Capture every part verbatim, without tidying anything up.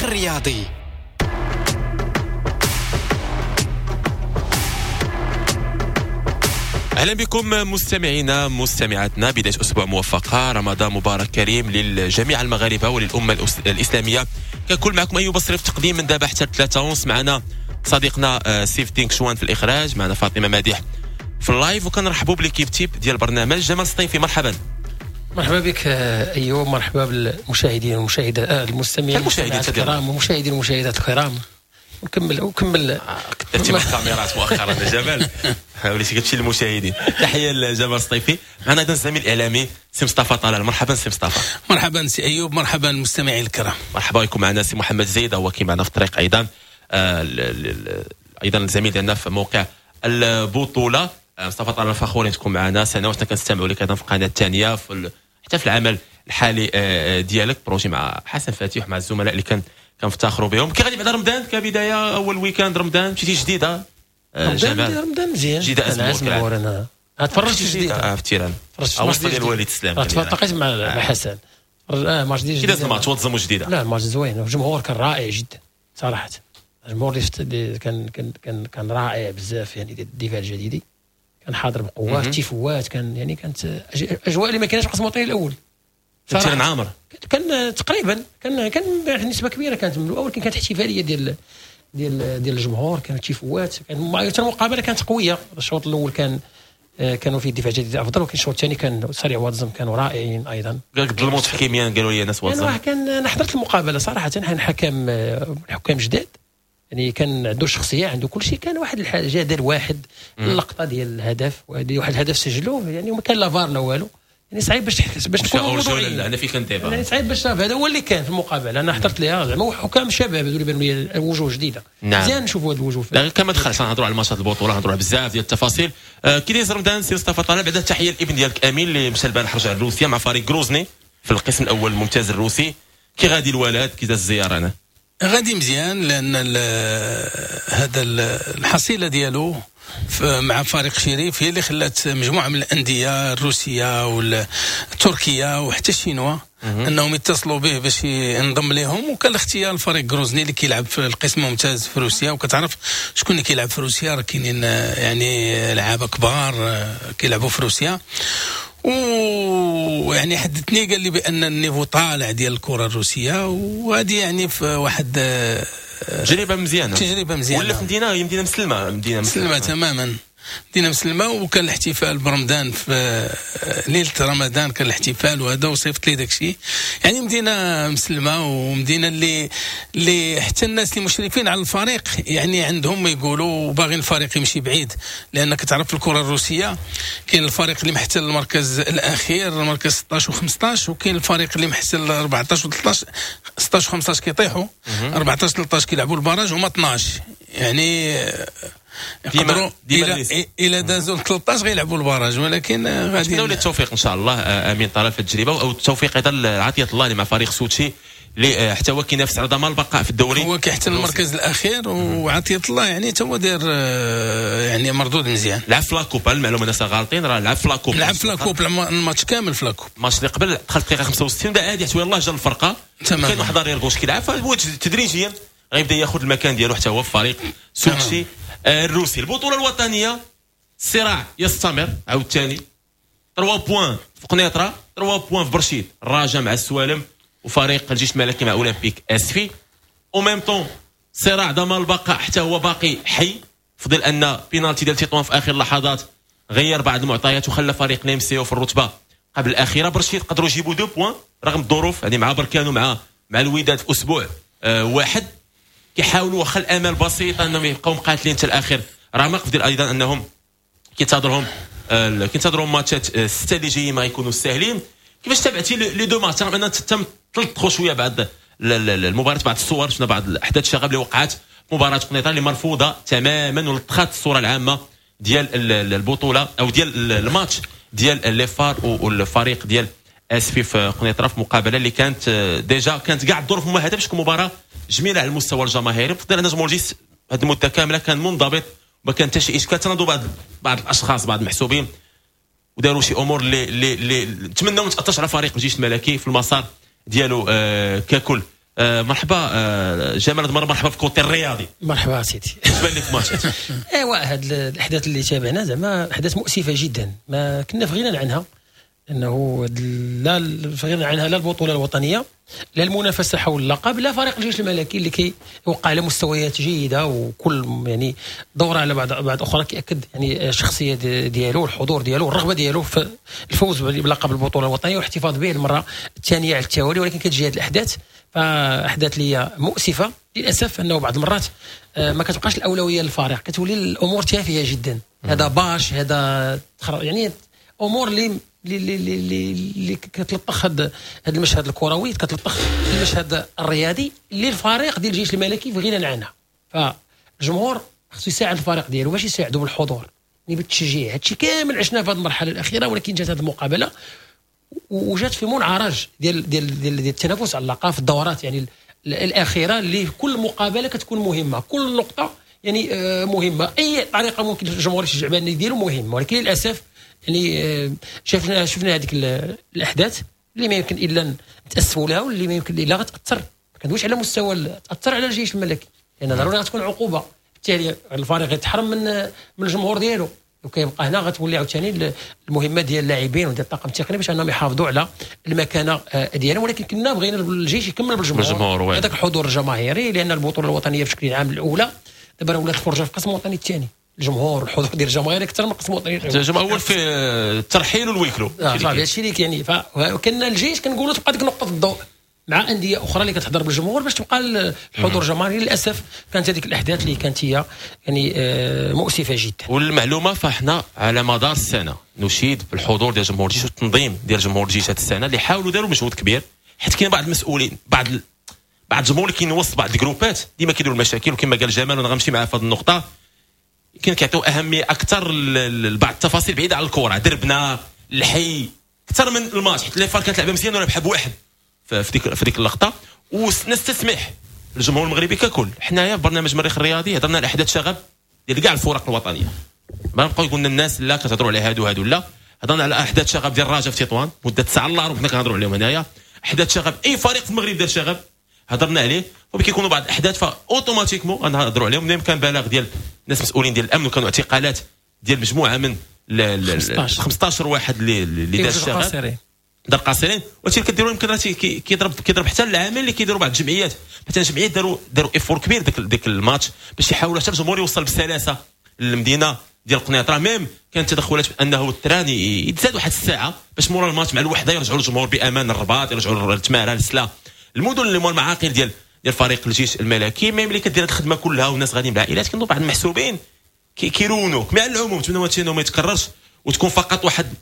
الرياضي. اهلا بكم مستمعينا مستمعاتنا، بداية اسبوع موفقة، رمضان مبارك كريم للجميع المغاربة وللامة الاسلامية ككل. معكم ايوب بصري في التقديم من دابا حتى ثلاثة ونص. معنا صديقنا سيف الدين كشوان في الاخراج، معنا فاطمة مديح في ال live، وكنرحبوا ب l'équipe type ديال البرنامج. جمال سطيفي مرحبا. مرحبا بك ايوب، مرحبا بالمشاهدين والمشاهدات، المستمعين المشاهدات الكرام والمشاهدين والمشاهدات الكرام. وكمل وكمل كثرتي من الكاميرات مؤخرا يا جمال، وليتي كتمشي للمشاهدين. تحية لجمال سطيفي. معنا ايضا الزميل الاعلامي سي مصطفى طلال. مرحبا سي مصطفى. مرحبا سي ايوب، مرحبا المستمعين الكرام. مرحبا بكم. معنا سي محمد زيد، هو كاين معنا في الطريق ايضا، آه ايضا الزميل ديالنا في موقع البطولة. مصطفى طلال فخورين تكون معنا سنوات كنستمعوا لك ايضا في القناة الثانية، في حتى في العمل الحالي ديالك projet مع حسن فاتح ومع الزملاء اللي كان كنفتخروا بهم. كي غادي بعد رمضان كبداية، اول week-end رمضان مشيتي جديدة؟ رمضان رمضان مزيان جديدة ازمور. انا تفرجت جديدة في ال terrain، تفرجت ديال الوليد السلام، تلاقيت مع حسن. اه ماتش ديال جديدة، الماتش وتزمو جديدة. لا الماتش زوين، الجمهور كان رائع جدا صراحة. الجمهور اللي كان كان كان كان رائع بزاف، يعني الدفاع الجديدي كان حاضر بقوة، تيفوات كان، يعني كانت اجواء اللي ما كانش في القسم الوطني الاول. ال terrain عامر كان تقريبا، كان كان نسبه كبيرة كانت من الاول، ولكن كانت احتفالية ديال ديال ديال الجمهور، كانت تيفوات، كان المقابلة كانت قوية. الشوط الاول كان كانوا فيه الدفاع الجديد افضل، ولكن الشوط الثاني كان سريع واتزم كانوا رائعين ايضا. قال لك ظلموا تحكيميا، قالوا لي ناس واتزم. يعني كان انا حضرت المقابلة صراحة، حكم حكام جداد، يعني كان عنده شخصية، عنده كل شيء. كان واحد الجدل واحد اللقطة ديال الهدف، واحد الهدف سجلوه يعني، وما كان لا فار لا والو، يعني صعيب باش باش نكونوا موضوعيين. انا في كنت يعني صعيب باش هذا هو اللي كان في المقابلة. انا حضرت ليها زعما حكام شباب هذو اللي بانوا لي وجوه جديدة. نعم. مزيان نشوفوا هاد الوجوه. لا كما دخلت نهضروا على الماتشات البطولة، نهضروا على بزاف ديال التفاصيل. آه كي دايز رمضان سي مصطفى طلال؟ بعدا تحية للابن ديالك امين اللي مشى البارح رجع لروسيا مع فريق غروزني في القسم الاول الممتاز الروسي. كي غادي الولد، كي داز الزيارة؟ انا غادي مزيان، لان هذا الحصيلة ديالو مع فريق شريف هي اللي خلات مجموعة من الاندية الروسية والتركيه وحتى الشينوا انهم يتصلوا به باش ينضم لهم، وكان الاختيار الفريق غروزني اللي كيلعب في القسم الممتاز في روسيا. وكتعرف شكون اللي كيلعب في روسيا، راه كاينين يعني لعابه كبار كيلعبوا في روسيا. ويعني حدثني قال لي بان ال niveau طالع ديال الكره الروسية، وهذه يعني في واحد تجربه مزيانه، تجربه مزيانه. ولا في مدينة، هي مدينة مسلمة، مدينة مسلمة تماما، مدينة مسلمة. وكان الاحتفال برمضان في ليلة رمضان، كان الاحتفال وهذا، وصيفط لي داك الشيء. يعني مدينة مسلمة، ومدينة اللي اللي حتى الناس اللي مشرفين على الفريق يعني عندهم يقولوا باغيين الفريق يمشي بعيد، لان كتعرف الكره الروسية كاين الفريق اللي محتل المركز الاخير، المركز ستة عشر وخمسطاش، وكاين الفريق اللي محتل أربعطاش وثلاطاش. ستة عشر وخمسطاش كيطيحوا، أربعطاش ثلاطاش كيلعبوا ال barrage، هما اثناش يعني يقدروا الى الى دازوا ثلاطاش غيلعبوا ال barrage. ولكن غادي نتمنوا التوفيق ان شاء الله امين طلال في التجربة، او التوفيق ايضا لعطيه الله مع فريق سوتشي اللي حتى هو كينافس على ضمان البقاء في الدوري، هو كيحتل المركز الاخير. وعطية الله يعني حتى هو داير يعني مردود مزيان. لعب في la coupe، المعلومة الناس غالطين، راه لعب في la coupe، لعب في la coupe الماتش كامل في la coupe. الماتش اللي قبل دخل الدقيقة خمسة وستين بدا عادي، حتى يلاه جا الفرقة كاين واحد arrière gauche كيلعب، فهو تدريجيا غيبدا ياخذ المكان ديالو حتى هو في فريق سوتشي الروسي. البطولة الوطنية الصراع يستمر عاوتاني، ثلاثة points في قنيطره، ثلاثة points في برشيد، الرجاء مع السوالم، وفريق الجيش الملكي مع اولمبيك اسفي. au même temps صراع ضمان البقاء حتى هو باقي حي، فضل ان بينالتي ديال تطوان في اخر اللحظات غير بعض المعطيات وخلى فريق ليمسيو في الرتبة قبل الاخيرة. برشيد قدروا يجيبوا deux points رغم الظروف، يعني مع بركان ومع مع الوداد في اسبوع آه واحد، كيحاولوا واخا الامل بسيط انهم يبقاو مقاتلين حتى الاخر. راه فضل ايضا انهم كينتظرهم آه كينتظرهم ماتشات آه ستة اللي جايين ما يكونوا ساهلين. كيفاش تابعتي les deux matchs؟ رغم ان تم تلطخوا شوية بعد المباراة، بعض الصور شفنا بعض الاحداث الشغب اللي وقعت مباراة قنيطره اللي مرفوضة تماما، ولطخات الصورة العامة ديال البطولة او ديال الماتش ديال les FAR والفريق ديال اسفي في قنيطره، في مقابله اللي كانت déjà كانت كاع الظروف ممهده باش تكون مباراة جميلة على المستوى الجماهيري. بفضل ان جمهور الجيش هذه المدة كاملة كان منضبط وما كان حتى شي اشكال. تناضوا بعض بعض الاشخاص بعض المحسوبين وداروا شي امور اللي اللي اللي نتمنوا ما تاثرش على فريق الجيش الملكي في المسار ديالو آه ككل. آه مرحبا آه جمال هاد المرة مرحبا في côté الرياضي. مرحبا سيدي. اش بان لك ماتش؟ ايوا هاد الاحداث اللي تابعنا زعما احداث مؤسفة جدا، ما كنا في غنى عنها، انه لا في غنى عنها لا البطولة الوطنية لا المنافسة حول اللقب لا فريق الجيش الملكي اللي كيوقع على مستويات جيدة، وكل يعني دوره على بعد بعد اخرى كياكد يعني الشخصية ديالو والحضور ديالو والرغبة ديالو في الفوز بلقب البطولة الوطنية والاحتفاظ به المرة الثانية على التوالي. ولكن كتجي هذه الاحداث، فاحداث اللي هي مؤسفة للاسف، انه بعض المرات ما كتبقاش الاولوية للفريق، كتولي الامور تافهة جدا. هذا باش هذا يعني امور اللي اللي اللي اللي كتلطخ هذا المشهد الكروي، كتلطخ المشهد الرياضي اللي الفريق ديال الجيش الملكي في غنى عنها. فالجمهور خصو يساعد الفريق ديالو، باش يساعدو بالحضور يعني بالتشجيع. هادشي كامل عشناه في هذه المرحلة الاخيرة، ولكن جات هذه المقابلة وجات في منعرج ديال ديال ديال التنافس على اللقب في الدورات يعني الاخيرة، اللي كل مقابله كتكون مهمة، كل نقطة يعني مهمة، اي طريقه ممكن الجمهور يشجع بها النادي ديالو مهمة. ولكن للاسف يعني شفنا شفنا هذيك الاحداث اللي ما يمكن الا نتاسفوا لها، واللي ما يمكن الا غتاثر، ما كندويش على مستوى تاثر على الجيش الملكي، لان ضروري غتكون عقوبه، بالتالي الفريق يتحرم من من الجمهور ديالو، وكيبقى هنا غتولي عاوتاني المهمة ديال اللاعبين وديال الطاقم التقني باش انهم يحافظوا على المكانة ديالهم. ولكن كنا بغينا الجيش يكمل بالجمهور، هذاك الحضور الجماهيري، لان البطولة الوطنية بشكل عام الاولى دابا ولات الفرجة في القسم الوطني الثاني، الجمهور الحضور ديال الجماهير اكثر من القسم الوطني الجمهور في الترحيل وال huis clos. اه صافي هادشي اللي يعني. فكنا الجيش كنقولوا تبقى ديك نقطة الضوء مع اندية اخرى اللي كتحضر بالجمهور باش تبقى الحضور الجماهيري. للاسف كانت هذيك الاحداث اللي كانت هي يعني مؤسفة جدا. والمعلومه فاحنا على مدار السنة نشيد بالحضور ديال جمهور الجيش والتنظيم ديال جمهور الجيش هذه السنة، اللي حاولوا داروا مجهود كبير، حيت كاين بعض المسؤولين بعض ال... بعض الجمهور اللي كاين وسط بعض الجروبات ديما كيديروا المشاكل، وكما قال جمال وانا غنمشي معاه في هذه النقطة، كاين كيعطيو اهمية اكثر لبعض التفاصيل بعيدة على الكره، دربنا الحي اكثر من الماتش، حيت les FAR كانت لعبه مزيان وربح بواحد في ديك في ديك اللقطة. ونستسمح الجمهور المغربي ككل، حنايا في برنامج مريخ الرياضي هضرنا على احداث شغب ديال كاع الفرق الوطنية، ما نبقاو يقولنا الناس لا كتهضروا على هادو هادو، لا هضرنا على احداث شغب ديال الرجاء في تطوان مده ساعة الا ربع كنا كنهضروا عليهم هنايا، احداث شغب اي فريق في المغرب دار شغب هضرنا عليه، وكيكونوا بعض الاحداث ف automatiquement غنهضروا عليهم. ملي كان بلاغ ديال الناس مسؤولين ديال الامن، وكانوا اعتقالات ديال مجموعة من خمسطاش واحد اللي اللي دار الشغب دار قاصرين. وهادشي اللي كديروا يمكن راه كيضرب كيضرب حتى العامل اللي كيديروا بعض الجمعيات، مثلا الجمعيات داروا داروا effort كبير داك داك الماتش باش يحاولوا حتى الجمهور يوصل بسلاسة للمدينة ديال القنيطره. même كانت تدخلات بانه ال train يتزاد واحد الساعة باش مورا الماتش مع الوحدة يرجعوا الجمهور بامان الرباط، يرجعوا للتماره للسلا، المدن اللي هما المعاقل ديال ديال فريق الجيش الملكي. même اللي كدير هاد الخدمة كلها والناس غاديين بالعائلات، كاينوا بعض المحسوبين كيرونوك. مع العموم نتمنى هادشي انه ما يتكررش وتكون فقط واحد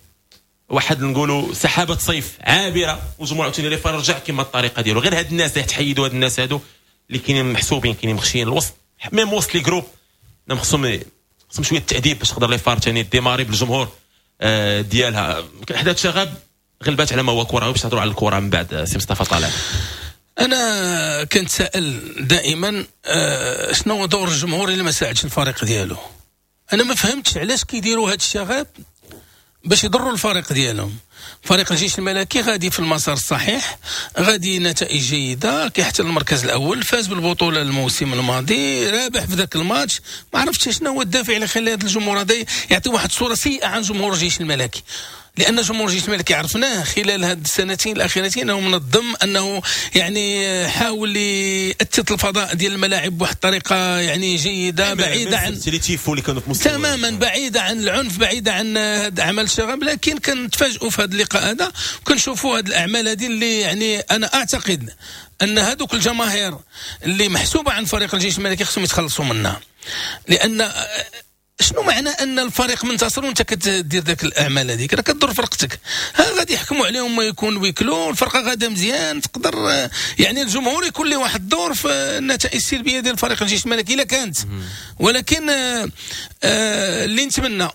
واحد نقولوا سحابه صيف عابرة، والجمهور عاوتاني les FAR رجع كما الطريقة ديالو. غير هاد الناس اللي تحيدوا هاد الناس هادو اللي كاينين محسوبين كاينين مخشيين الوسط، même وسط les groupes خصهم خصهم شوية التاديب باش تقدر les FAR ثاني démarrer بالجمهور ديالها. احداث شغب غلبات على ما هو كره، باش نهضروا على الكره من بعد. سي مصطفى طالع، انا كنتساءل دائما شنو هو دور الجمهور اللي ما ساعدش الفريق ديالو. انا ما فهمتش علاش كيديروا هاد الشغب باش يضروا الفريق ديالهم. فريق الجيش الملكي غادي في المسار الصحيح، غادي نتائج جيدة، كيحتل المركز الاول، فاز بالبطولة الموسم الماضي، رابح في ذاك الماتش. ما عرفتش شنو هو الدافع اللي خلى هذا الجمهور هذا يعطي واحد الصورة سيئه عن جمهور الجيش الملكي، لان جمهور الجيش الملكي عرفناه خلال هاد السنتين الاخيرتين انه منظم، انه يعني حاول يأتت الفضاء ديال الملاعب بواحد الطريقة يعني جيدة، بعيدة عن تماما بعيدة عن العنف، بعيدة عن هاد اعمال الشغب. لكن كنتفاجئوا في هذا اللقاء هذا وكنشوفوا هاد الاعمال هذه اللي يعني انا اعتقد ان هذوك الجماهير اللي محسوبة عن فريق الجيش الملكي خصهم يتخلصوا منها. لان شنو معنى ان الفريق منتصر وانت كتدير ذاك الاعمال هذيك؟ راه كضر فرقتك. ها غادي يحكموا عليهم ما يكون huis clos، الفرقة غادا مزيان، تقدر يعني الجمهور يكون له واحد الدور في النتائج السلبية ديال فريق الجيش الملكي الا كانت. ولكن آه اللي نتمنى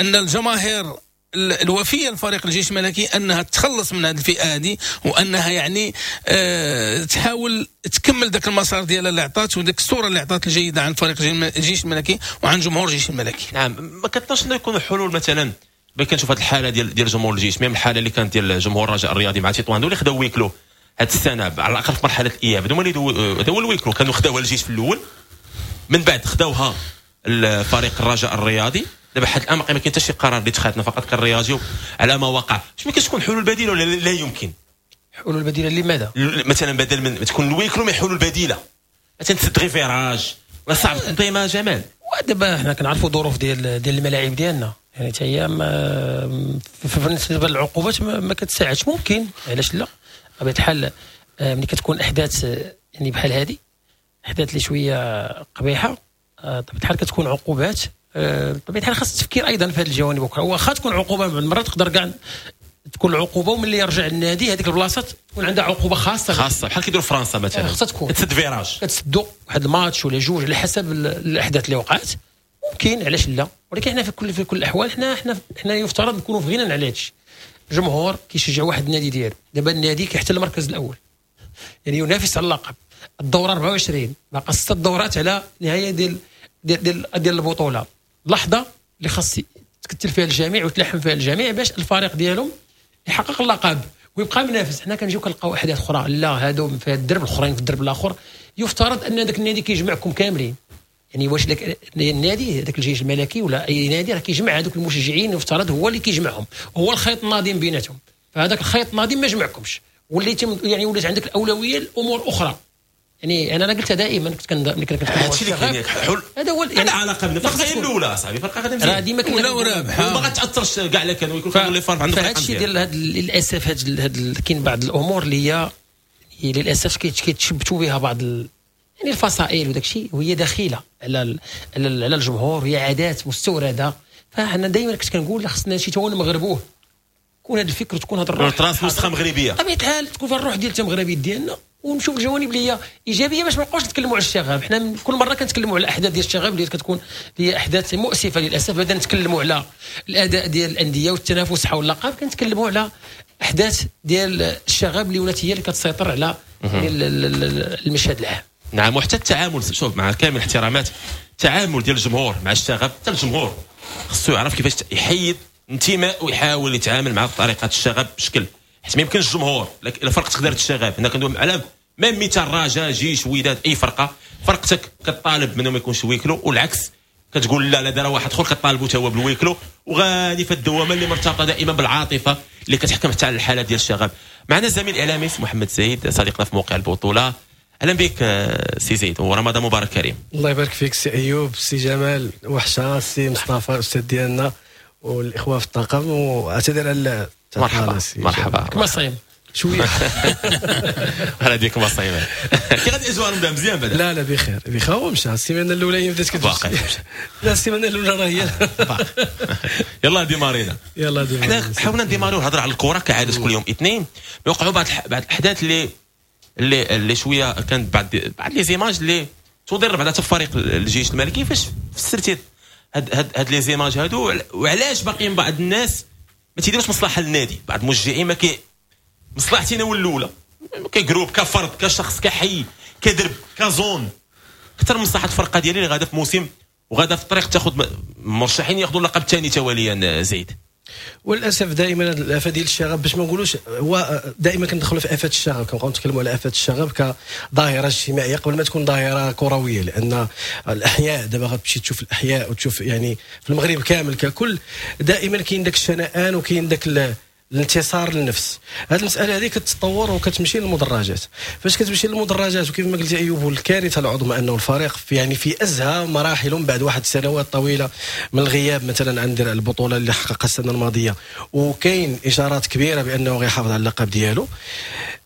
ان الجماهير الوفيه لفريق الجيش الملكي انها تخلص من هذه الفئة هذه، وانها يعني أه تحاول تكمل ذاك المسار ديالها اللي عطات وذاك الصورة اللي عطات الجيدة عن فريق الجيش الملكي وعن جمهور الجيش الملكي. نعم، ما كتنش انه يكونوا حلول مثلا باش كنشوف هذه الحالة ديال ديال جمهور الجيش، même الحالة اللي كانت ديال جمهور الرجاء الرياضي مع تطوان اللي خداو huis clos، هاد السنة على الاقل في مرحلة الاياب. هذوما اللي هذا هو ال huis clos، كانوا خداوها الجيش في الاول، من بعد خداوها الفريق الرجاء الرياضي. دابا حد الان ما كاين حتى شي قرار اللي تخادنا، فقط كنرياجيو على ما وقع. واش ما كاينش تكون حلول بديله ولا لا يمكن؟ حلول بديله لماذا؟ مثلا بدل من تكون ال huis clos ما حلول بديله، مثلا تسد غير virage ولا صعب التنظيم جمال. ودابا حنا كنعرفوا ظروف ديال ديال الملاعب ديالنا، يعني حتى هي بالنسبة للعقوبات ما, ما كتساعدش. ممكن علاش لا، بطبيعة الحال ملي كتكون احداث يعني بحال هذه، احداث اللي شوية قبيحة، بطبيعة الحال كتكون عقوبات. بطبيعة الحال خاص التفكير ايضا في هذه الجوانب. واخا تكون عقوبه بعض المرات تقدر كاع تكون العقوبة، وملي يرجع النادي هذيك البلاصة تكون عندها عقوبه خاصة خاصة بحال كيديروا فرنسا مثلا، خاصها تكون تسد virage، كتسدوا واحد الماتش ولا جوج على حسب الاحداث اللي وقعت. ممكن علاش لا، ولكن حنا في كل في كل الاحوال حنا حنا حنا يفترض نكونوا في غنى على هادشي. الجمهور كيشجع واحد النادي ديالو، دابا النادي كيحتل المركز الاول، يعني ينافس على اللقب. الدورة أربعة وعشرين باقا ست دورات على نهاية ديال ديال ديال, ديال البطولة. لحظة اللي خاص تكتل فيها الجميع وتلحم فيها الجميع باش الفريق ديالهم يحقق اللقب ويبقى منافس. حنا كنجيو كنلقاو احداث اخرى، لا هادو في الدرب الاخرين في الدرب الاخر. يفترض ان ذاك النادي كيجمعكم كاملين، يعني واش داك النادي هذاك الجيش الملكي ولا اي نادي راه كيجمع هذوك المشجعين، يفترض هو اللي كيجمعهم، هو الخيط الناظم بيناتهم. فهذاك الخيط الناظم ما جمعكمش، وليت يعني ولات عندك الاولوية لامور اخرى. يعني انا انا قلتها دائما، كنت كن كنت هادشي اللي كاين حل، هذا هو يعني علاقة بالفرقة هي الاولى صاحبي، فرقه غادي مزيان راه ديما كنا ولا رابحه وما غاتاثرش كاع لا كانوا يكون كانوا les FAR عندهم. فهادشي ديال هاد للاسف هاد هاد كاين بعض الامور اللي هي للاسف كيتشبتوا بها بعض ال... يعني الفصائل وداك الشيء، وهي دخيله على ال... على الجمهور، وهي عادات مستورده. فاحنا دائما كنت كنقول خصنا شي تا نمغربوه، يكون هذا الفكر وتكون هذا الروح، تراس نسخه مغربية بطبيعة الحال، تكون فيها الروح ديال التمغربيه ديالنا، ونشوف الجوانب اللي هي ايجابية باش ما نبقاوش نتكلموا على الشغب. حنا كل مرة كنتكلموا على الاحداث ديال الشغب اللي كتكون هي احداث مؤسفة للاسف. بدنا نتكلموا على الاداء ديال الاندية والتنافس حول اللقب، كنتكلموا على احداث ديال الشغب اللي ولات هي اللي كتسيطر على المشهد العام. نعم، وحتى التعامل، شوف مع كامل الاحترامات، التعامل ديال الجمهور مع الشغب، حتى الجمهور خصو يعرف كيفاش يحيد انتماء ويحاول يتعامل مع طريقه الشغب بشكل، حيت ما يمكنش الجمهور الا فرقتك دارت الشغب. هنا كندوي على même مثال رجاء، جيش، وداد، اي فرقه، فرقتك كطالب منهم ما يكونش huis clos، والعكس كتقول لا لا دار واحد اخر كطالبو حتى هو بال huis clos، وغادي في الدوامة اللي مرتبطة دائما بالعاطفه اللي كتحكم حتى على الحالة ديال الشغب. معنا الزميل الاعلامي محمد زيد صديقنا في موقع البطولة. اهلا بك سي زيد ورمضان مبارك كريم. الله يبارك فيك سي ايوب، سي جمال، وحشة، سي مصطفى الاستاذ ديالنا والاخوة في الطاقم، واعتذر على مرحبا مرحبا. كما صايم شوية هلا ديك ما صايم. كي غادي اجواء رمضان مزيان بعدا؟ لا لا بخير بخير. هو مشى السيمانة الاولى هي بدات كتمشي. لا السيمانة الاولى راه هي يلا ديمارينا يلا ديمارينا. حنا حاولنا نديماريو الهضرة على الكره كعادة كل يوم اثنين، وقعوا بعض بعض الاحداث اللي اللي اللي شوية كانت بعض بعض les images اللي تضر بعد فريق الجيش الملكي. فاش فسرتي هاد هاد هاد les images هادو، وعلاش باقيين بعض الناس ما تيديروش مصلحة للنادي؟ بعض المشجعين ما كي مصلحتي انا الاولى ك groupe، كفرد، كشخص، كحي، كدرب، ك zone، اكثر من مصلحة الفرقة ديالي اللي غادا في موسم وغادا في الطريق تاخذ مرشحين ياخذوا اللقب الثاني تواليا. زيد وللاسف دائما الافة ديال الشغب، باش ما نقولوش هو دائما كندخلوا في افات الشغب، كنبقاو نتكلموا على افات الشغب كظاهره اجتماعية قبل ما تكون ظاهره كروية، لان الاحياء دابا غتمشي تشوف الاحياء وتشوف يعني في المغرب كامل ككل دائما كاين داك الشنآن وكاين داك الانتصار للنفس. هذه المسالة هذه كتطور وكتمشي للمدرجات. فاش كتمشي للمدرجات وكيف ما قلتي ايوب، الكارثة العظمى انه الفريق في يعني في ازهى مراحله بعد واحد السنوات طويلة من الغياب مثلا عن درع البطولة اللي حققها السنة الماضية، وكاين اشارات كبيرة بانه غيحافظ على اللقب ديالو.